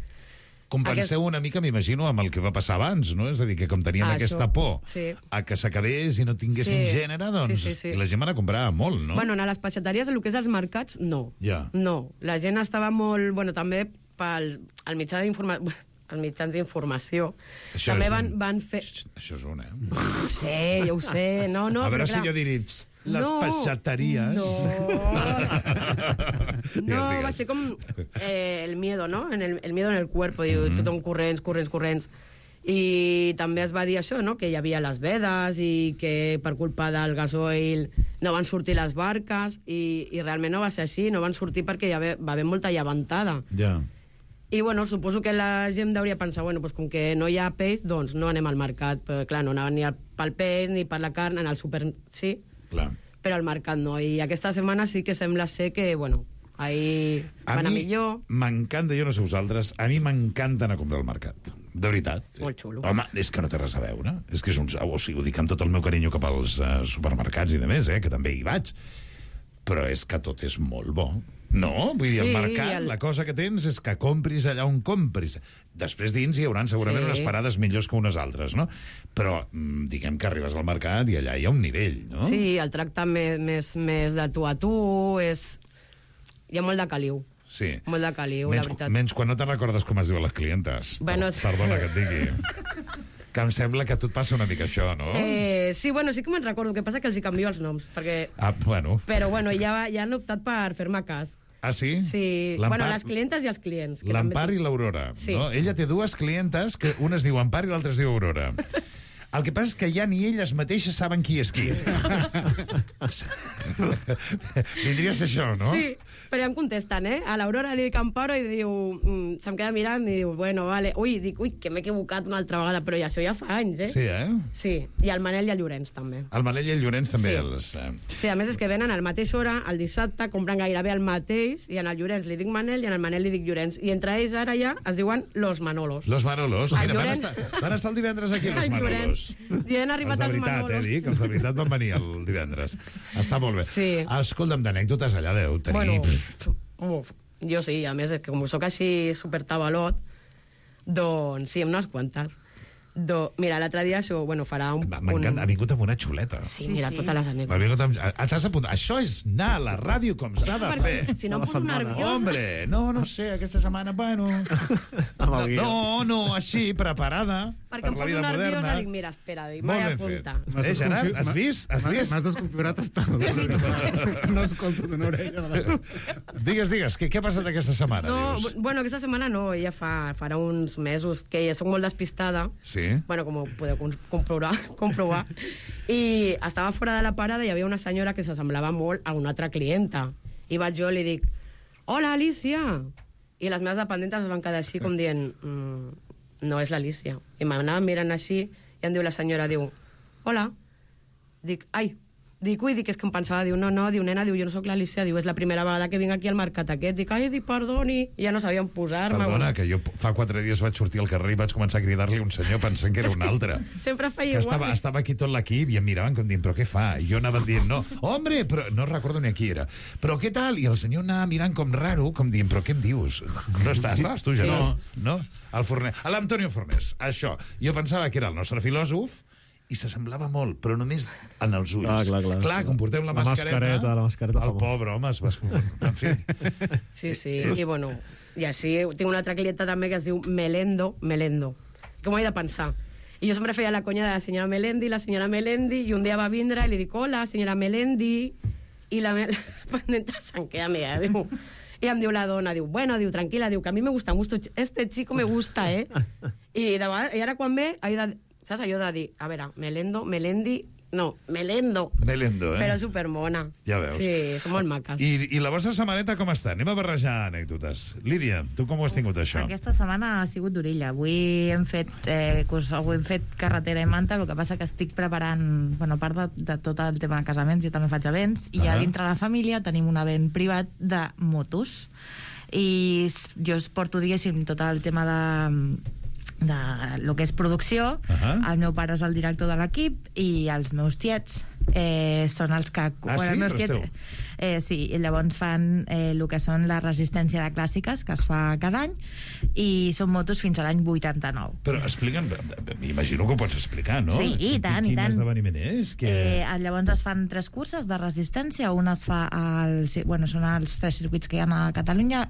Compenseu una mica, m'imagino, amb el que va passar abans, no? És a dir, que com teníem Ah, aquesta això, por sí. a que s'acabés i no tinguéssim Sí. gènere, doncs... Sí, sí, sí. I la gent va anar a comprar molt, no? Bueno, a les peixateries, el que és els mercats, no. Ja. No, la gent estava molt... Bueno, també pel el mitjà d'informació... Els mitjans d'informació Això també és van, un- van fer... Això és un, eh? Ho sé, ja ho sé. No, no, a veure però si clar... jo diré... "Psst, les No, peixateries... No, Digues, va digues. ser com eh, el miedo, no? En el, el miedo en el cuerpo, diu, Mhm. tothom corrents, corrents, corrents. I també es va dir això, no? Que hi havia les vedes i que per culpa del gasoil no van sortir les barques i, i realment no va ser així, no van sortir perquè hi va, va haver molta llevantada. Ja. I, bueno, suposo que la gent hauria pensat, bueno, pues com que no hi ha peix, doncs no anem al mercat. Però, clar, no anaven ni pel peix ni per la carn, en el súper sí, Clar. però al mercat no. I aquesta setmana sí que sembla ser que, bueno, ahí A va anar mi millor. m'encanta, jo no sé vosaltres, a mi m'encanta anar a comprar al mercat. De veritat. Molt xulo. Home, és que no té res a veure. És que és un... O sigui, ho dic amb tot el meu carinyo cap als uh, supermercats i de més, eh, que també hi vaig. Però és que tot és molt bo. No? Vull dir, al Sí, mercat, el- la cosa que tens és que compris allà on compris. Després dins hi hauran segurament Sí. unes parades millors que unes altres, no? Però mm, diguem que arribes al mercat i allà hi ha un nivell, no? Sí, el tracte més, més, més de tu a tu és... Hi ha molt de caliu. Sí. Molt de caliu, Menys, la veritat. menys quan no te'n recordes com es diuen les clientes. Bueno, Per- Perdona que et digui. Que em sembla que a tu et passa una mica això, no? Eh, sí, bueno, sí que me'n recordo. El que passa que els hi canvio els noms, perquè... Ah, bueno. Però, bueno, ja, ja han optat per fer-me cas. Ah, sí? Sí, L'Empar- bueno, les clientes i els clients. que L'Empar també- i l'Aurora. Sí. No? Ella té dues clientes, que una es diu Empar i l'altra es diu Aurora. El que passa és que ja ni elles mateixes saben qui és qui. Vindria a ser això, no? Sí, però ja em contesten, eh? A l'Aurora li dic Amparo i diu... Mm, se'm queda mirant i diu, bueno, vale. Ui, dic, ui, que m'he equivocat una altra vegada, però ja això ja fa anys, eh? Sí, eh? Sí, i el Manel i el Llorenç, també. El Manel i el Llorenç també. Sí. Els, eh... Sí, a més és que venen a la mateixa hora, el dissabte, compren gairebé el mateix, i en el Llorenç li dic Manel i en el Manel li dic Llorenç. I entre ells ara ja es diuen Los Manolos. Los Manolos. El Mira, Llorenç... van, estar, van estar el divendres aquí, Los El Manolos. I han arribat els de els veritat, Manolos. eh, dic, els de veritat van venir el divendres. Està molt bé. Sí. Escolta'm, d'anècdotes allà deu tenir... Bueno, uf, jo sí, a més, és que com sóc així supertabalot, doncs sí, unes quantes. Do... Mira, l'altre dia això, bueno, farà un... M'encanta, un... ha vingut amb una xuleta. Sí, mira, sí, sí. Totes les Ha anècdotes. vingut amb... Ah, t'has apuntat. Això és anar a la ràdio com s'ha de fer. Si no em poso nerviosa... Hombre, no, no sé, aquesta setmana, bueno... No, no, no, així, preparada Perquè per em la poso vida nerviosa, moderna. dic, mira, espera, dic, Molt vaig ben apuntar. fet. Eh, Gerard, has vist? Has vist? M'has desconfigurat hasta... No escolto d'una orella. Digues, digues, què, què ha passat aquesta setmana, No, dius? bueno, aquesta setmana no, ja fa, farà uns mesos que ja soc molt despistada. Sí? Bueno, com ho podeu com- comprovar, comprovar. I estava fora de la parada i hi havia una senyora que s'assemblava molt a una altra clienta. I vaig jo i li dic, hola, Alicia! I les meves dependentes es van quedar així com dient, mm, no és l'Alicia. I m'anaven mirant així i em diu la senyora, diu, hola. Dic, ai, dic, ui, dic, és que em pensava, diu, no, no, diu, nena, diu, jo no sóc l'Alicia, diu, és la primera vegada que vinc aquí al mercat aquest. Dic, ai, dic, perdoni, i ja no sabia on posar-me. Perdona, que jo fa quatre dies vaig sortir al carrer i vaig començar a cridar-li a un senyor pensant que era un altre. Sempre Que feia igual. estava, estava aquí tot l'equip i em miraven com dient, però què fa? I jo anava dient, no, hombre, però no recordo ni a qui era. Però què tal? I el senyor anava mirant com raro, com dient, però què em dius? No estàs, estaves tu, Gerard? Sí. No? El Fornés. A l'Antonio Fornés. Això. Jo pensava que era el nostre filòsof i s'assemblava molt, però només en els ulls. Ah, clar, clar. clar, com portem la, La mascareta, mascareta, la mascareta fa el molt. pobre home es va... En fi. Sí, sí, i bueno, i així tinc una altra clienta també que es diu Melendo, Melendo. Com ho he de pensar? I jo sempre feia la conya de la senyora Melendi, la senyora Melendi, i un dia va vindre i li dic, hola, senyora Melendi, i la, me... la pendenta se'n queda meva, diu... I em diu la dona, diu, bueno, diu, tranquila, diu, que a mi me gusta mucho, este chico me gusta, eh? I, de vegades, i ara quan ve, he de, saps allò de dir, a veure, Melendo, Melendi, no, Melendo. Melendo, eh? Però supermona. Ja veus. Sí, són molt maques. I, I la vostra setmaneta com està? Anem a barrejar anècdotes. Lídia, tu com ho has tingut, això? Aquesta setmana ha sigut d'orella. Avui hem fet, eh, curs, avui hem fet carretera i manta, el que passa que estic preparant, bueno, a part de, de tot el tema de casaments, jo també faig events, i Ah. a dintre de la família tenim un event privat de motos. I s- jo es porto, diguéssim, tot el tema de de lo que és producció. Ahà. El meu pare és el director de l'equip i els meus tiets eh, són els que... Ah, sí? els meus Però esteu- tiets, eh, sí, i llavors fan eh, el que són la resistència de clàssiques, que es fa cada any, i són motos fins a l'any vuitanta-nou. Però explica'm, m'imagino que ho pots explicar, no? Sí, i tant, i Quin tant. esdeveniment és? Que... Eh, llavors es fan tres curses de resistència. Un es fa al... Bueno, són els tres circuits que hi ha a Catalunya.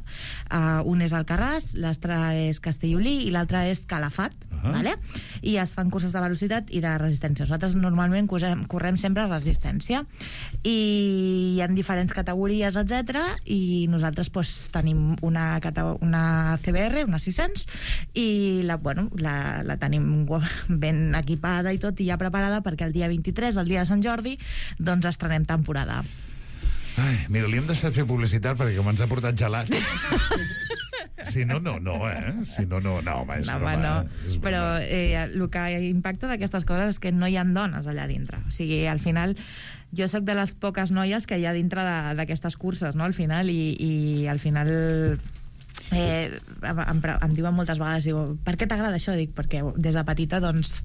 Uh, un és Alcarràs, l'altre és Castellolí i l'altre és Calafat. Ah. Vale? I es fan curses de velocitat i de resistència. Nosaltres normalment correm, correm sempre resistència. I hi ha diferents categories, etcètera. I nosaltres pues, tenim una, cate- una C B R, una sis-cents, i la, bueno, la, la tenim ben equipada i tot, i ja preparada perquè el dia vint-i-tres, el dia de Sant Jordi, doncs estrenem temporada. Ai, mira, li hem deixat fer publicitat perquè com ens ha portat gelat. Si no, no, no, eh? Si no, no, no, home, és No, broma. home, no. eh? És Però broma. eh, el que impacta d'aquestes coses és que no hi ha dones allà dintre. O sigui, al final, jo sóc de les poques noies que hi ha dintre de- d'aquestes curses, no?, al final, i, i al final... Eh, em, em, em diuen moltes vegades, diu, per què t'agrada això? Dic, perquè des de petita doncs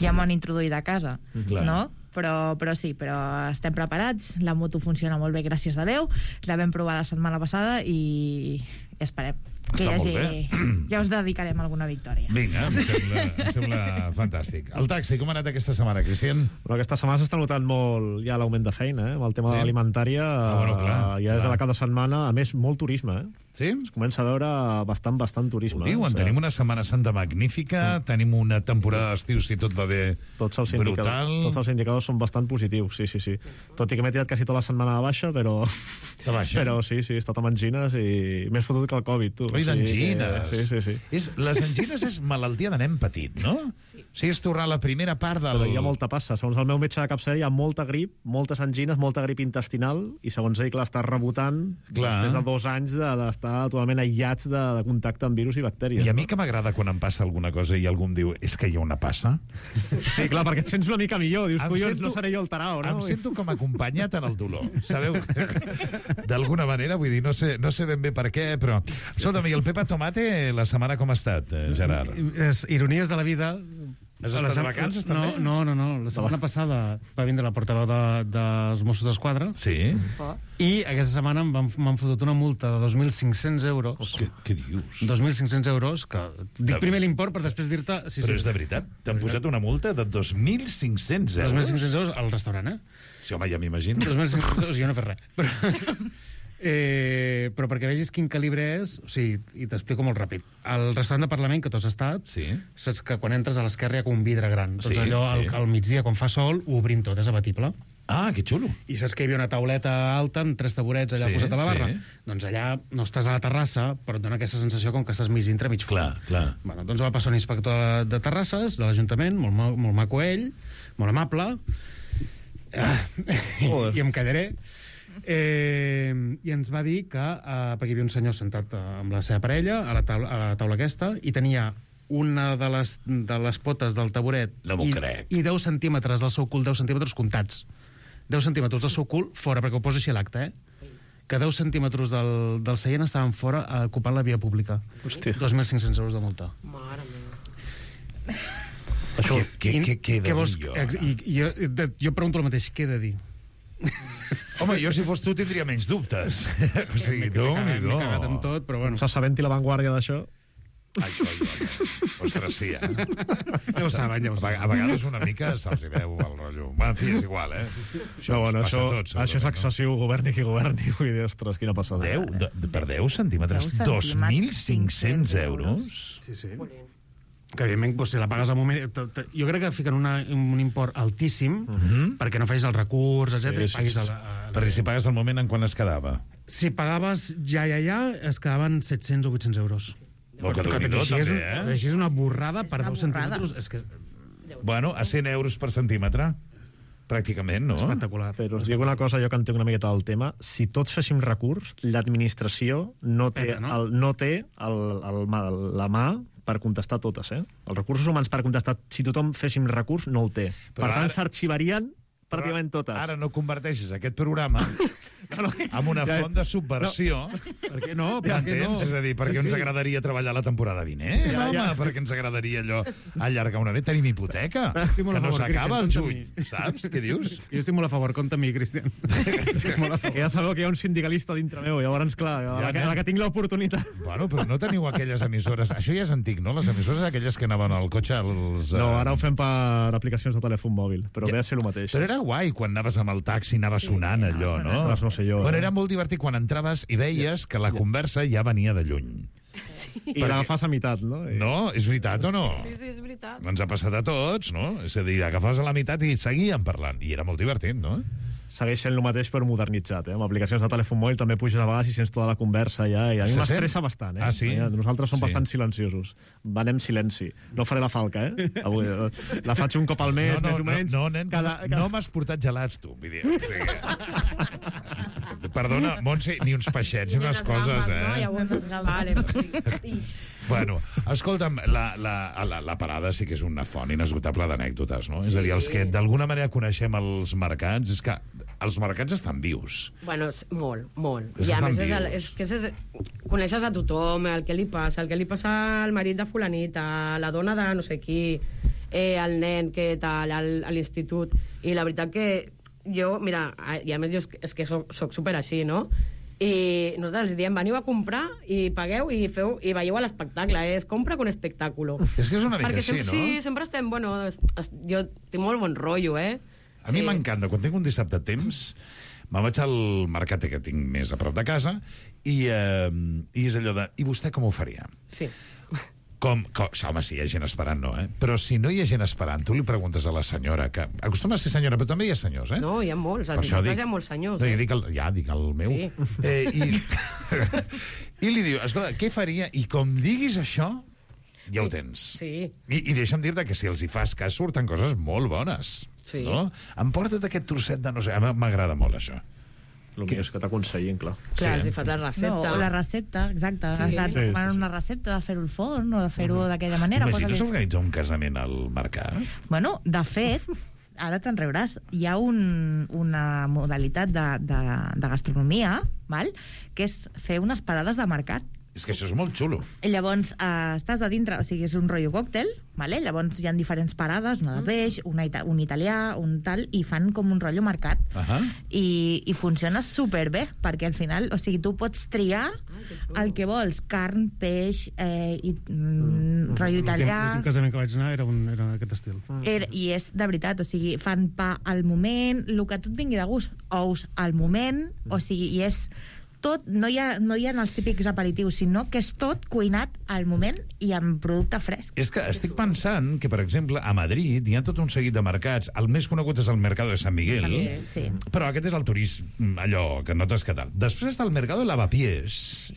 ja m'ho han introduït a casa, Clar. no? Però, però sí, però estem preparats, la moto funciona molt bé, gràcies a Déu, la vam provar la setmana passada i esperem que hi Està hagi... molt Ja us dedicarem alguna victòria. Vinga, em sembla, em sembla fantàstic. El taxi, com ha anat aquesta setmana, Cristian? Però aquesta setmana s'està notant molt ja l'augment de feina, eh? Amb el tema Sí? sí. alimentària, Ah, bueno, clar, eh, ja des clar. de la cada setmana, a més, molt turisme, eh? Sí? Es comença a veure bastant, bastant turisme. Ho diuen, O sigui, tenim una Setmana Santa magnífica, tenim una temporada d'estiu, si tot va bé, tots els brutal. indicadors, tots els indicadors són bastant positius, sí, sí, sí. Tot i que m'he tirat quasi tota la setmana de baixa, però... De baixa? Però sí, sí, he estat amb angines i m'he fotut que el Covid, tu. Oi, O sigui d'angines. que- Sí, sí, sí. És, les angines és malaltia de nen petit, no? Sí. O sigui, és tornar a la primera part del... Però hi ha molta passa. Segons el meu metge de capçalera hi ha molta grip, moltes angines, molta grip intestinal, i segons ell, clar, està rebotant Clar. després de dos anys de- d'estar totalment aïllats de, de contacte amb virus i bactèries. I a mi que m'agrada quan em passa alguna cosa i algú em diu és que hi ha una passa. Sí, clar, perquè et sents una mica millor. Dius, Em collons, sento- no seré jo el tarao, no? Em sento com acompanyat en el dolor, sabeu? D'alguna manera, vull dir, no sé, no sé ben bé per què, però... Escolta'm, i el Pepa Tomate, la setmana com ha estat, eh, Gerard? És ironies de la vida. Has La estat de sem- vacances, no, també? No, no, no. La setmana passada va vindre la portaveu de, dels Mossos d'Esquadra. Sí? I aquesta setmana m'han m'han fotut una multa de dos mil cinc-cents euros. Què, què dius? dos mil cinc-cents euros, que dic primer l'import per després dir-te... Sí, Però és de veritat? T'han posat una multa de dos mil cinc-cents euros? dos mil cinc-cents euros al restaurant, eh? Sí, home, ja m'imagino. dos mil cinc-cents euros, jo no he fet res. Però, eh, però perquè vegis quin calibre és, o sigui, i t'explico molt ràpid. Al restaurant de Parlament, que tu has estat, sí. saps que quan entres a l'esquerra hi ha com un vidre gran. Doncs Sí, allò, al, sí. al migdia, quan fa sol, ho obrim tot, és abatible. Ah, que xulo. I saps que hi havia una tauleta alta amb tres taburets allà Sí, posat a la barra? sí. Doncs allà no estàs a la terrassa, però et dona aquesta sensació com que estàs mig dintre, mig fora. Clar, clar. Bueno, doncs va passar un inspector de, de terrasses, de l'Ajuntament, molt, ma- molt maco ell, molt amable, ah, i em callaré, eh, i ens va dir que, eh, perquè hi havia un senyor sentat eh, amb la seva parella a la taula, a la taula aquesta, i tenia una de les, de les potes del taburet No m'ho i, crec. i deu centímetres del seu cul, deu centímetres comptats. deu centímetres del seu cul fora, perquè ho posa així a l'acte, eh? Que deu centímetres del, del seient estaven fora eh, ocupant la via pública. Hòstia. dos mil cinc-cents euros de multa. Mare meva. Això, què, què, què he de Què vols- dir jo? ex- I, i, jo, de- jo pregunto el mateix, què he de dir? Home, jo si fos tu tindria menys dubtes. O sigui, M'he déu cagat- nhi m'he cagat en tot, però bueno. S'assabenti l'avantguàrdia d'això. Això, ja. Ostres, sí, eh? Ja ho saben, ja ho A saben. vega- A vegades una mica se'ls hi veu el rotllo. Bueno, en fi, és igual, eh? Això No, bueno, ens passa això, a tots, això és segurament, excessiu, governi qui governi. Vull dir, ostres, quina passada. Deu, de, de, per deu centímetres, deu dos mil cinc-cents euros. Sí, sí. Que, evidentment, doncs, si la pagues al moment... t- t- Jo crec que fiquen una, un import altíssim Mhm. perquè no facis el recurs, etcètera. Sí, sí, i paguis sí, el- sí. el- Perquè si pagues al moment en quan es quedava. Si pagaves ja, ja, ja, es quedaven set-cents o vuit-cents euros. Molt que tot déu-n'hi-do, així és, també, eh? tot així és una borrada per una deu borrada. centímetres. És que Bueno, a cent euros per centímetre. Pràcticament, no? espectacular. Però us dic una cosa, jo que entenc una miqueta del tema. Si tots féssim recurs, l'administració no té, Peta, no? el, no té el, el, mà- la mà per contestar totes, eh? Els recursos humans per contestar, si tothom féssim recurs, no el té. Però per tant, ara- s'arxivarien pràcticament totes. Ara no converteixes aquest programa amb una Ja- font de subversió. Per què no? Per què no? M'entens? És a dir, perquè Sí, ens sí. agradaria treballar la temporada vinent, Ja, home, ja. perquè ens agradaria allò allargar una nit. Tenim hipoteca, Estic molt que a no favor, s'acaba al Cristian, juny, compta saps? Què dius? Jo estic molt a favor, compta amb mi, Cristian. Estic molt a favor. Que ja sabeu que hi ha un sindicalista dintre meu, llavors, clar, a la, que, a la que tinc l'oportunitat. Bueno, però no teniu aquelles emissores... Això ja és antic, no? Les emissores aquelles que anaven al cotxe... Els, eh, No, ara ho fem per aplicacions de telèfon mòbil, però ve a ser el mateix. Però era guai quan anaves amb el taxi, anava sonant allò, no? Ostres, no sé jo, Bueno, eh? era molt divertit quan entraves i veies que la conversa ja venia de lluny. I l'agafàs a meitat, no? I... No? És veritat o no? Sí, sí, és veritat. Ens ha passat a tots, no? És a dir, agafaves a la meitat i seguien parlant. I era molt divertit, no? Segueix sent el mateix però modernitzat, eh? Amb aplicacions de telèfon mòbil també puges a vegades i sents tota la conversa ja, i a mi Se m'estressa sent? bastant, eh? Ah, sí? Nosaltres som Sí. bastant silenciosos. Vanem silenci. No faré la falca, eh? Avui, eh, la faig un cop al mes, no, no, més o menys. No, no, nen, cada, no, no m'has portat gelats, tu. Vull dir, o sigui... Perdona, Montse, ni uns peixets, ni unes coses, eh? No? Llavors, vale, sí. Bueno, escolta'm, la, la, la, la parada sí que és una font inesgotable d'anècdotes, no? Sí. És a dir, els que d'alguna manera coneixem els mercats, és que els mercats estan vius. Bueno, és molt, molt. És I a que més, estan és, el, vius. és que és, coneixes a tothom, el que li passa, el que li passa al marit de fulanita, la dona de no sé qui, eh, el nen que tal, al, a l'institut. I la veritat que jo, mira, i a més jo és, és que soc, soc super així, no? I nosaltres els diem, veniu a comprar i pagueu i feu i veieu a l'espectacle, eh? És compra con espectáculo. És que és una mica Perquè així, sempre, no? Sí, sempre estem, bueno, es, es, jo tinc molt bon rotllo, eh? A mi Sí. m'encanta, quan tinc un dissabte a temps, Me'n vaig al mercat que tinc més a prop de casa i, eh, i és allò de... I vostè com ho faria? Sí. Com, com, home, si hi ha gent esperant, no, eh? Però si no hi ha gent esperant, tu li preguntes a la senyora, que acostuma a ser senyora, però també hi ha senyors, eh? No, hi ha molts, als dissabtes hi ha molts senyors. No, eh? ja, dic el, ja, dic el meu. Sí. Eh, i, I li diu, escolta, què faria? I com diguis això, ja ho tens. Sí. I, i deixa'm dir-te que si els hi fas cas, surten coses molt bones. Sí. No? Emporta't aquest trosset de no sé... M'agrada molt, això. El que és que t'aconsellin, clar. Clar, els hi fas la recepta. No, la recepta, exacte. Sí. Sí. Sí, sí, una recepta de fer-ho al forn o de fer-ho d'aquella manera. T'imagines organitzar un casament al mercat? Bueno, de fet, ara te'n riuràs, hi ha un, una modalitat de, de, de gastronomia, val? Que és fer unes parades de mercat. És que això és molt xulo. I llavors eh, estàs a dintre, o sigui, és un rotllo còctel, vale? Llavors hi ha diferents parades, una de peix, una ita un italià, un tal, i fan com un rotllo mercat. Uh -huh. I, i funciona superbé, perquè al final, o sigui, tu pots triar el que vols, carn, peix, eh, i, mm, rotllo italià... L'últim casament que vaig anar era, un, era aquest estil. Era, I és de veritat, o sigui, fan pa al moment, el que tu et vingui de gust, ous al moment, o sigui, i és tot, no hi ha, no hi ha els típics aperitius, sinó que és tot cuinat al moment i amb producte fresc. És que estic pensant que, per exemple, a Madrid hi ha tot un seguit de mercats. El més conegut és el Mercado de San Miguel, Sant Miguel, sí. Però aquest és el turisme, allò que notes que tal. Després està el Mercado de Lavapiés,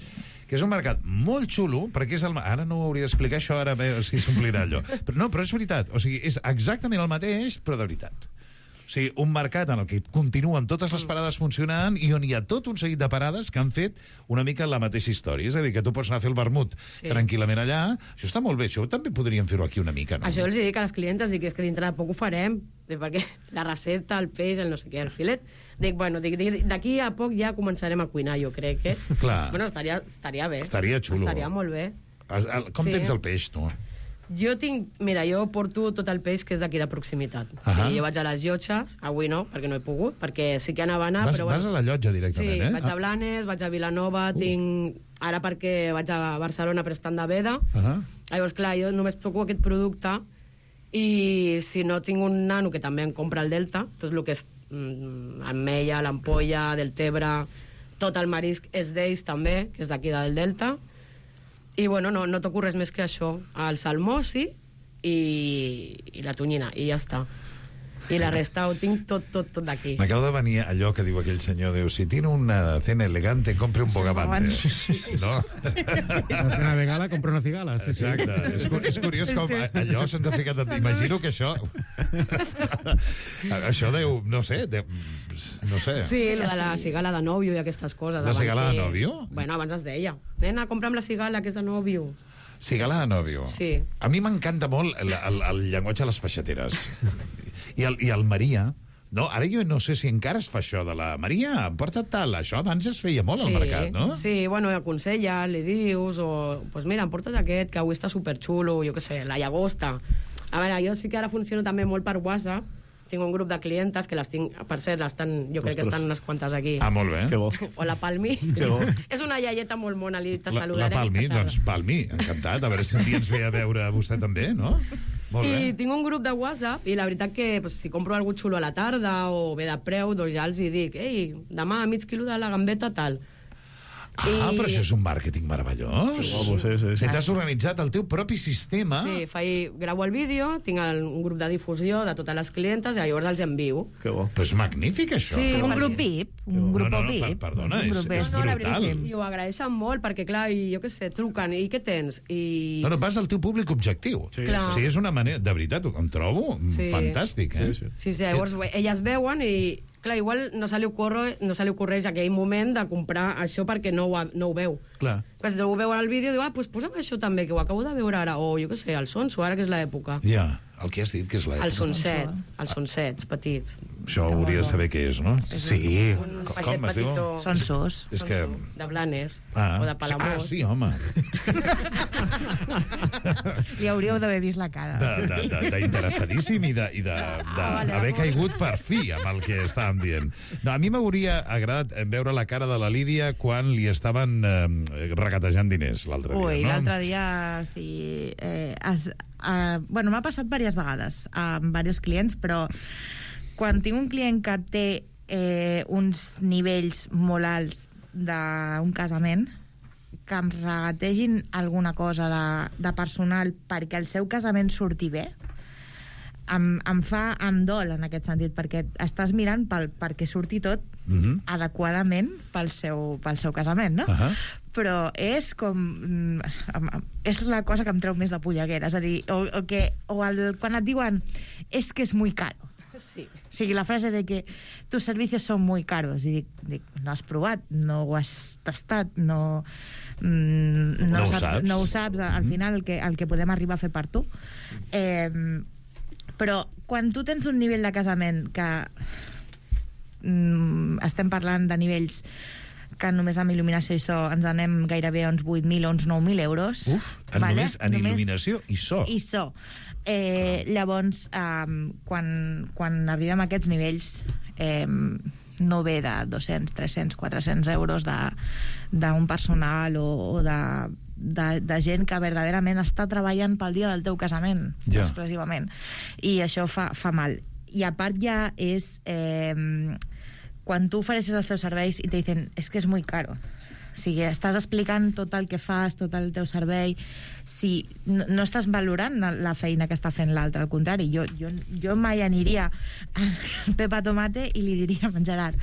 que és un mercat molt xulo, perquè és el... Ara no ho hauria d'explicar això, ara a veure si s'omplirà allò. Però no, però és veritat. O sigui, és exactament el mateix, però de veritat. O sigui, un mercat en el que continuen totes les parades funcionant i on hi ha tot un seguit de parades que han fet una mica la mateixa història. És a dir, que tu pots anar a fer el vermut Sí. tranquil·lament allà. Això està molt bé. Això també podríem fer-ho aquí una mica, no? Això els dic a les clientes, dic, és que dintre de poc ho farem, perquè la recepta, el peix, el no sé què, el filet... Dic, bueno, dic, dic, d'aquí a poc ja començarem a cuinar, jo crec, eh? Clar. Bueno, estaria, estaria bé. Estaria xulo. Estaria molt bé. Com Sí. tens el peix, tu? Jo tinc... Mira, jo porto tot el peix que és d'aquí de proximitat. Ahà. Sí, jo vaig a les Llotges, avui no, perquè no he pogut, perquè sí que anava a anar, Vas, però... vas a la llotja directament, sí, eh? vaig a Blanes, vaig a Vilanova, uh. tinc... Ara perquè vaig a Barcelona per estar de veda. Uh -huh. Llavors, clar, jo només toco aquest producte i si no tinc un nano que també em compra el Delta, tot el que és mm, ametlla, l'ampolla, del Tebre, tot el marisc és d'ells també, que és d'aquí del Delta. I, bueno, no, no toco res més que això. El salmó, sí, i, i la tonyina, i ja està. I la resta ho tinc tot, tot, tot d'aquí. M'acaba de venir allò que diu aquell senyor, diu, si tiene una cena elegante, compre un bogavante. No? Una cena de gala, compra una cigala. Sí, sí. Exacte. És, cu- és curiós com allò se'ns ha ficat... Imagino que això... això deu, no sé, deu, no sé. Sí, la de la cigala de nòvio i aquestes coses. La abans cigala de sí. nòvio? Bueno, abans es deia. Nena, compra'm la cigala, que és de nòvio. Cigala de nòvio. Sí. A mi m'encanta molt el, el, el llenguatge de les peixateres. I el, I el Maria... No, ara jo no sé si encara es fa això de la Maria, em porta tal. Això abans es feia molt al mercat, no? Sí, bueno, aconsella, li dius, o... Pues mira, em porta't aquest, que avui està superxulo, jo què sé, la llagosta. A veure, jo sí que ara funciono també molt per WhatsApp. Tinc un grup de clientes que les tinc, per cert, estan, jo crec Ostres. que estan unes quantes aquí. Ah, molt bé. Que bo. O la Palmi. Que bo. És una iaieta molt mona, li te La, saludaré. la Palmi, aquesta tarda. doncs Palmi, encantat. A veure si un dia ens ve a veure a vostè també, no? Molt bé. I tinc un grup de WhatsApp i la veritat que pues, si compro algú xulo a la tarda o ve de preu, doncs ja els hi dic, ei, demà mig quilo de la gambeta tal. Ah, I... però això és un màrqueting meravellós. Sí. Oh, sí, sí, sí. Si t'has organitzat el teu propi sistema... Sí, faig, gravo el vídeo, tinc el, un grup de difusió de totes les clientes i llavors els envio. Que bo. Però és magnífic, això. Sí, Un perquè- grup V I P, un grup no, no, no, V I P. per- perdona, un és- grup és V I P. No, la brutal. veritat, I ho agraeixen molt, perquè clar, i, jo què sé, truquen, i què tens? I... No, no, vas al teu públic objectiu. Sí, Clar. O sigui, és una manera... De veritat, em trobo Sí. fantàstic, eh? Sí, sí. Sí, sí, llavors elles veuen i, clar, igual no se li, ocorre, no se li ocorreix aquell moment de comprar això perquè no ho, ha- no ho veu. Clar. Però si ho veu al vídeo, diu, ah, doncs posa'm això també, que ho acabo de veure ara. O, jo què sé, el sonso, ara que és l'època. Ja, el que has dit que és l'època. El sonset, els sonsets petits. Això hauria de saber què és, no? Sí. Un Com- peixet com es diu? petitó. Sonsos. És que... De Blanes, Ah, o de Palamós. ah, sí, home. Li hauríeu d'haver vist la cara. De- de- de- D'interessadíssim i de, i de, de Ah, vale, haver amor. caigut per fi amb el que estàvem dient. No, a mi m'hauria agradat veure la cara de la Lídia quan li estaven eh, regatejant diners l'altre dia. Ui, no? l'altre dia, sí... Eh, es, eh, bueno, m'ha passat diverses vegades amb diversos clients, però quan tinc un client que té eh, uns nivells molt alts d'un casament, que em regategin alguna cosa de, de personal perquè el seu casament surti bé, em, em fa, em dol en aquest sentit, perquè estàs mirant pel, perquè surti tot mm-hmm. adequadament pel seu, pel seu casament, no? Uh-huh. Però és com... és la cosa que em treu més de polleguera, és a dir, o, o, que, o el, quan et diuen és que és muy caro. Sí. O sigui, la frase de que tus servicios son muy caros, i dic, dic no has provat, no ho has tastat, no, mm, no, no, ho saps, saps. no ho saps, al final el que, el que podem arribar a fer per tu. Eh, però quan tu tens un nivell de casament que mm, estem parlant de nivells que només amb il·luminació i so ens anem gairebé a uns vuit mil o uns nou mil euros. Uf, en vale? només en només il·luminació i so. I so. Eh, llavors, eh, quan, quan arribem a aquests nivells, eh, no ve de dos-cents, tres-cents, quatre-cents euros d'un personal o, o de, de, de gent que verdaderament està treballant pel dia del teu casament, ja. exclusivament. I això fa, fa mal. I a part ja és... Eh, quan tu ofereixes els teus serveis i te dicen és que és muy caro. O sigui, estàs explicant tot el que fas, tot el teu servei, si no, no estàs valorant la feina que està fent l'altre, al contrari, jo, jo, jo mai aniria al Pepa Tomate i li diria a Gerard,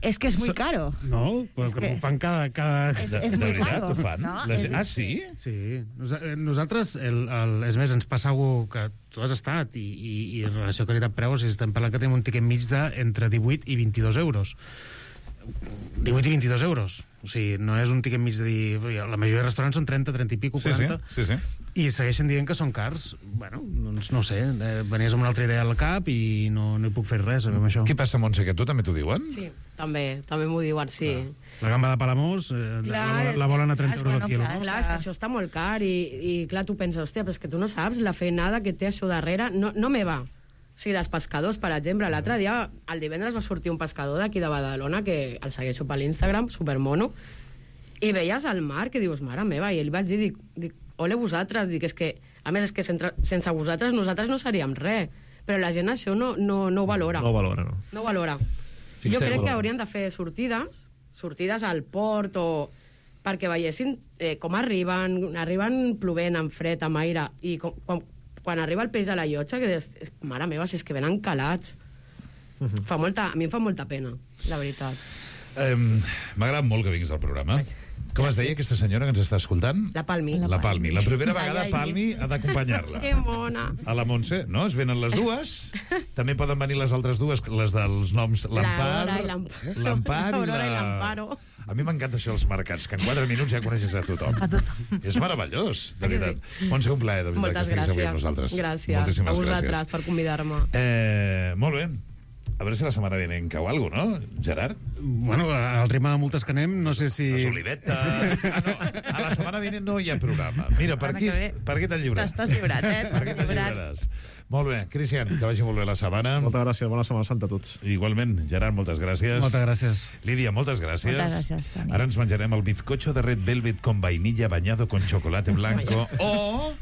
és que és muy caro. No, però que, que ho fan cada... cada... És, és de muy veritat, caro. ho fan? No? La... És... Ah, sí? Sí. Nos, nosaltres, el, el, és més, ens passa algú que tu has estat i, i, i en relació qualitat-preu, o sigui, estem parlant que tenim un tiquet mig d'entre divuit i vint-i-dos euros. divuit i vint-i-dos euros. O sigui, no és un tiquet mig de dir... La majoria de restaurants són trenta, trenta i pico, quaranta. Sí, sí, sí. I segueixen dient que són cars. Bueno, doncs no sé, venies amb una altra idea al cap i no, no hi puc fer res amb això. Què passa, Montse, que tu també t'ho diuen? Sí, també, també m'ho diuen, sí. La gamba de Palamós eh, clar, la, la volen a trenta és, euros bueno, al quilo. Clar, clar, és que això està molt car i, i clar, tu penses, hòstia, però és que tu no saps la feinada que té això darrere. No, no me va. O sigui, dels pescadors, per exemple, l'altre dia, el divendres va sortir un pescador d'aquí de Badalona, que el segueixo per l'Instagram, supermono, i veies al mar que dius, mare meva, i li vaig dir, dic, dic ole vosaltres, dic, és que, a més, és que sense, sense vosaltres nosaltres no seríem res, però la gent això no, no, no ho valora. No ho valora, no. No ho valora. Fixeu, jo crec valora. que haurien de fer sortides, sortides al port o perquè veiessin eh, com arriben, arriben plovent, amb fred, amb aire, i com, quan, quan arriba el peix a la llotja, que és, és, mare meva, si és que venen calats. Uh-huh. Fa molta, a mi em fa molta pena, la veritat. Um, M'agrada molt que vinguis al programa. Com es deia aquesta senyora que ens està escoltant? La Palmi. La Palmi. La primera vegada Ai, ai. Palmi ha d'acompanyar-la. Que mona. A la Montse, no? Es venen les dues. També poden venir les altres dues, les dels noms l'Empar, L'Aurora i l'Amparo. l'Empar i L'Aurora i la... l'Amparo. A mi m'encanta això dels mercats, que en quatre minuts ja coneixes a tothom. A tothom. És meravellós, de veritat. Montse, un plaer, de veritat, Moltes que estiguis avui gràcies. amb nosaltres. Gràcies. Moltíssimes a vosaltres gràcies. per convidar-me. Eh, molt bé. A veure si la setmana vinent cau alguna cosa, no, Gerard? Bueno, al ritme de multes que anem, no sé si... La Soliveta... Ah, no, a la setmana vinent no hi ha programa. Mira, per aquí, per aquí t'han lliurat. T'estàs lliurat, eh? Per aquí te'n lliuraràs. Molt bé, Cristian, que vagi molt bé la setmana. Moltes gràcies, bona Setmana Santa a tots. Igualment, Gerard, moltes gràcies. Moltes gràcies. Lídia, moltes gràcies. Moltes gràcies, Toni. Ara ens menjarem el bizcocho de Red Velvet con vainilla bañado con chocolate blanco o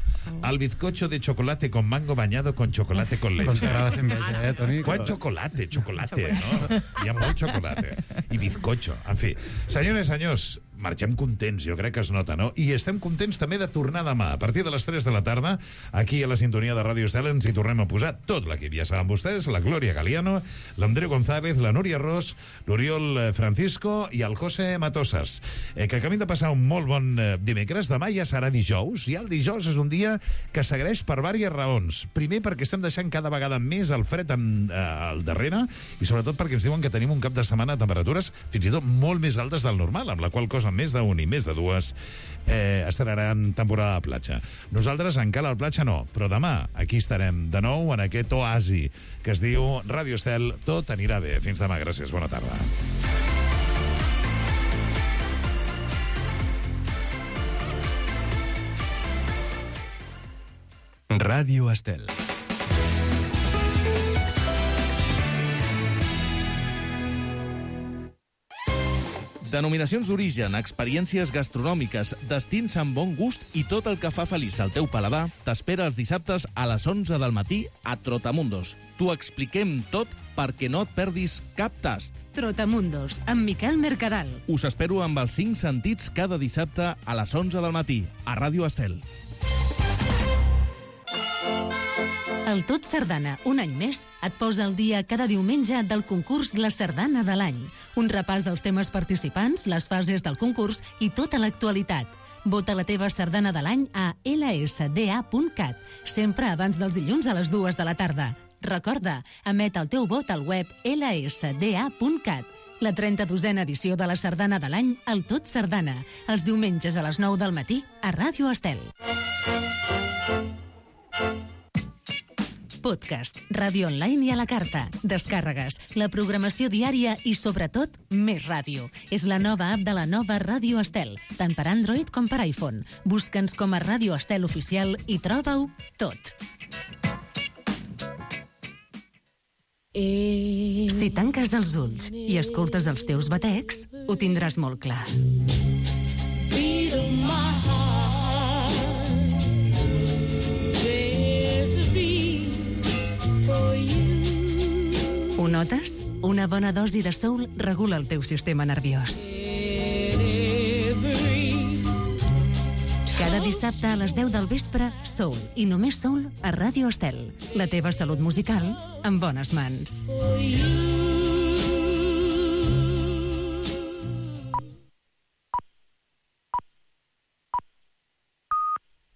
el bizcocho de chocolate con mango bañado con chocolate con leche. Com t'agrada fer enveja, eh, Toni? Quan xocolate, xocolate, no? Hi ha molt xocolate. I bizcocho. En fi, senyores i senyors, marxem contents, jo crec que es nota, no? I estem contents també de tornar demà, a partir de les tres de la tarda, aquí a la sintonia de Ràdio Estel ens hi tornem a posar tot l'equip. Ja saben vostès, la Glòria Galiano, l'Andreu González, la Núria Ros, l'Oriol Francisco i el José Matosas. Eh, que acabem de passar un molt bon eh, dimecres. Demà ja serà dijous, i el dijous és un dia que s'agraeix per diverses raons. Primer, perquè estem deixant cada vegada més el fred en, eh, al darrere, i sobretot perquè ens diuen que tenim un cap de setmana a temperatures fins i tot molt més altes del normal, amb la qual cosa més d'un i més de dues eh, estaran temporada de platja. Nosaltres encara al platja no, però demà aquí estarem de nou en aquest oasi que es diu Ràdio Estel. Tot anirà bé. Fins demà, gràcies, bona tarda. Ràdio Estel. Denominacions d'origen, experiències gastronòmiques, destins amb bon gust i tot el que fa feliç al teu paladar t'espera els dissabtes a les onze del matí a Trotamundos. T'ho expliquem tot perquè no et perdis cap tast. Trotamundos, amb Miquel Mercadal. Us espero amb els cinc sentits cada dissabte a les onze del matí, a Ràdio Estel. El Tot Sardana, un any més, et posa al dia cada diumenge del concurs La Sardana de l'any. Un repàs als temes participants, les fases del concurs i tota l'actualitat. Vota la teva sardana de l'any a ela esse de a punt cat, sempre abans dels dilluns a les dues de la tarda. Recorda, emet el teu vot al web ela esse de a punt cat. La trenta-dosena edició de la sardana de l'any, el Tot Sardana, els diumenges a les nou del matí a Ràdio Estel. Podcast, ràdio online i a la carta, descàrregues, la programació diària i, sobretot, més ràdio. És la nova app de la nova Ràdio Estel, tant per Android com per iPhone. Busca'ns com a Ràdio Estel Oficial i troba-ho tot. Si tanques els ulls i escoltes els teus batecs, ho tindràs molt clar. Beat of my heart, there's a beat for you. Ho notes? Una bona dosi de soul regula el teu sistema nerviós. Cada dissabte a les deu del vespre, Soul, i només Soul a Ràdio Estel. La teva salut musical en bones mans. For you.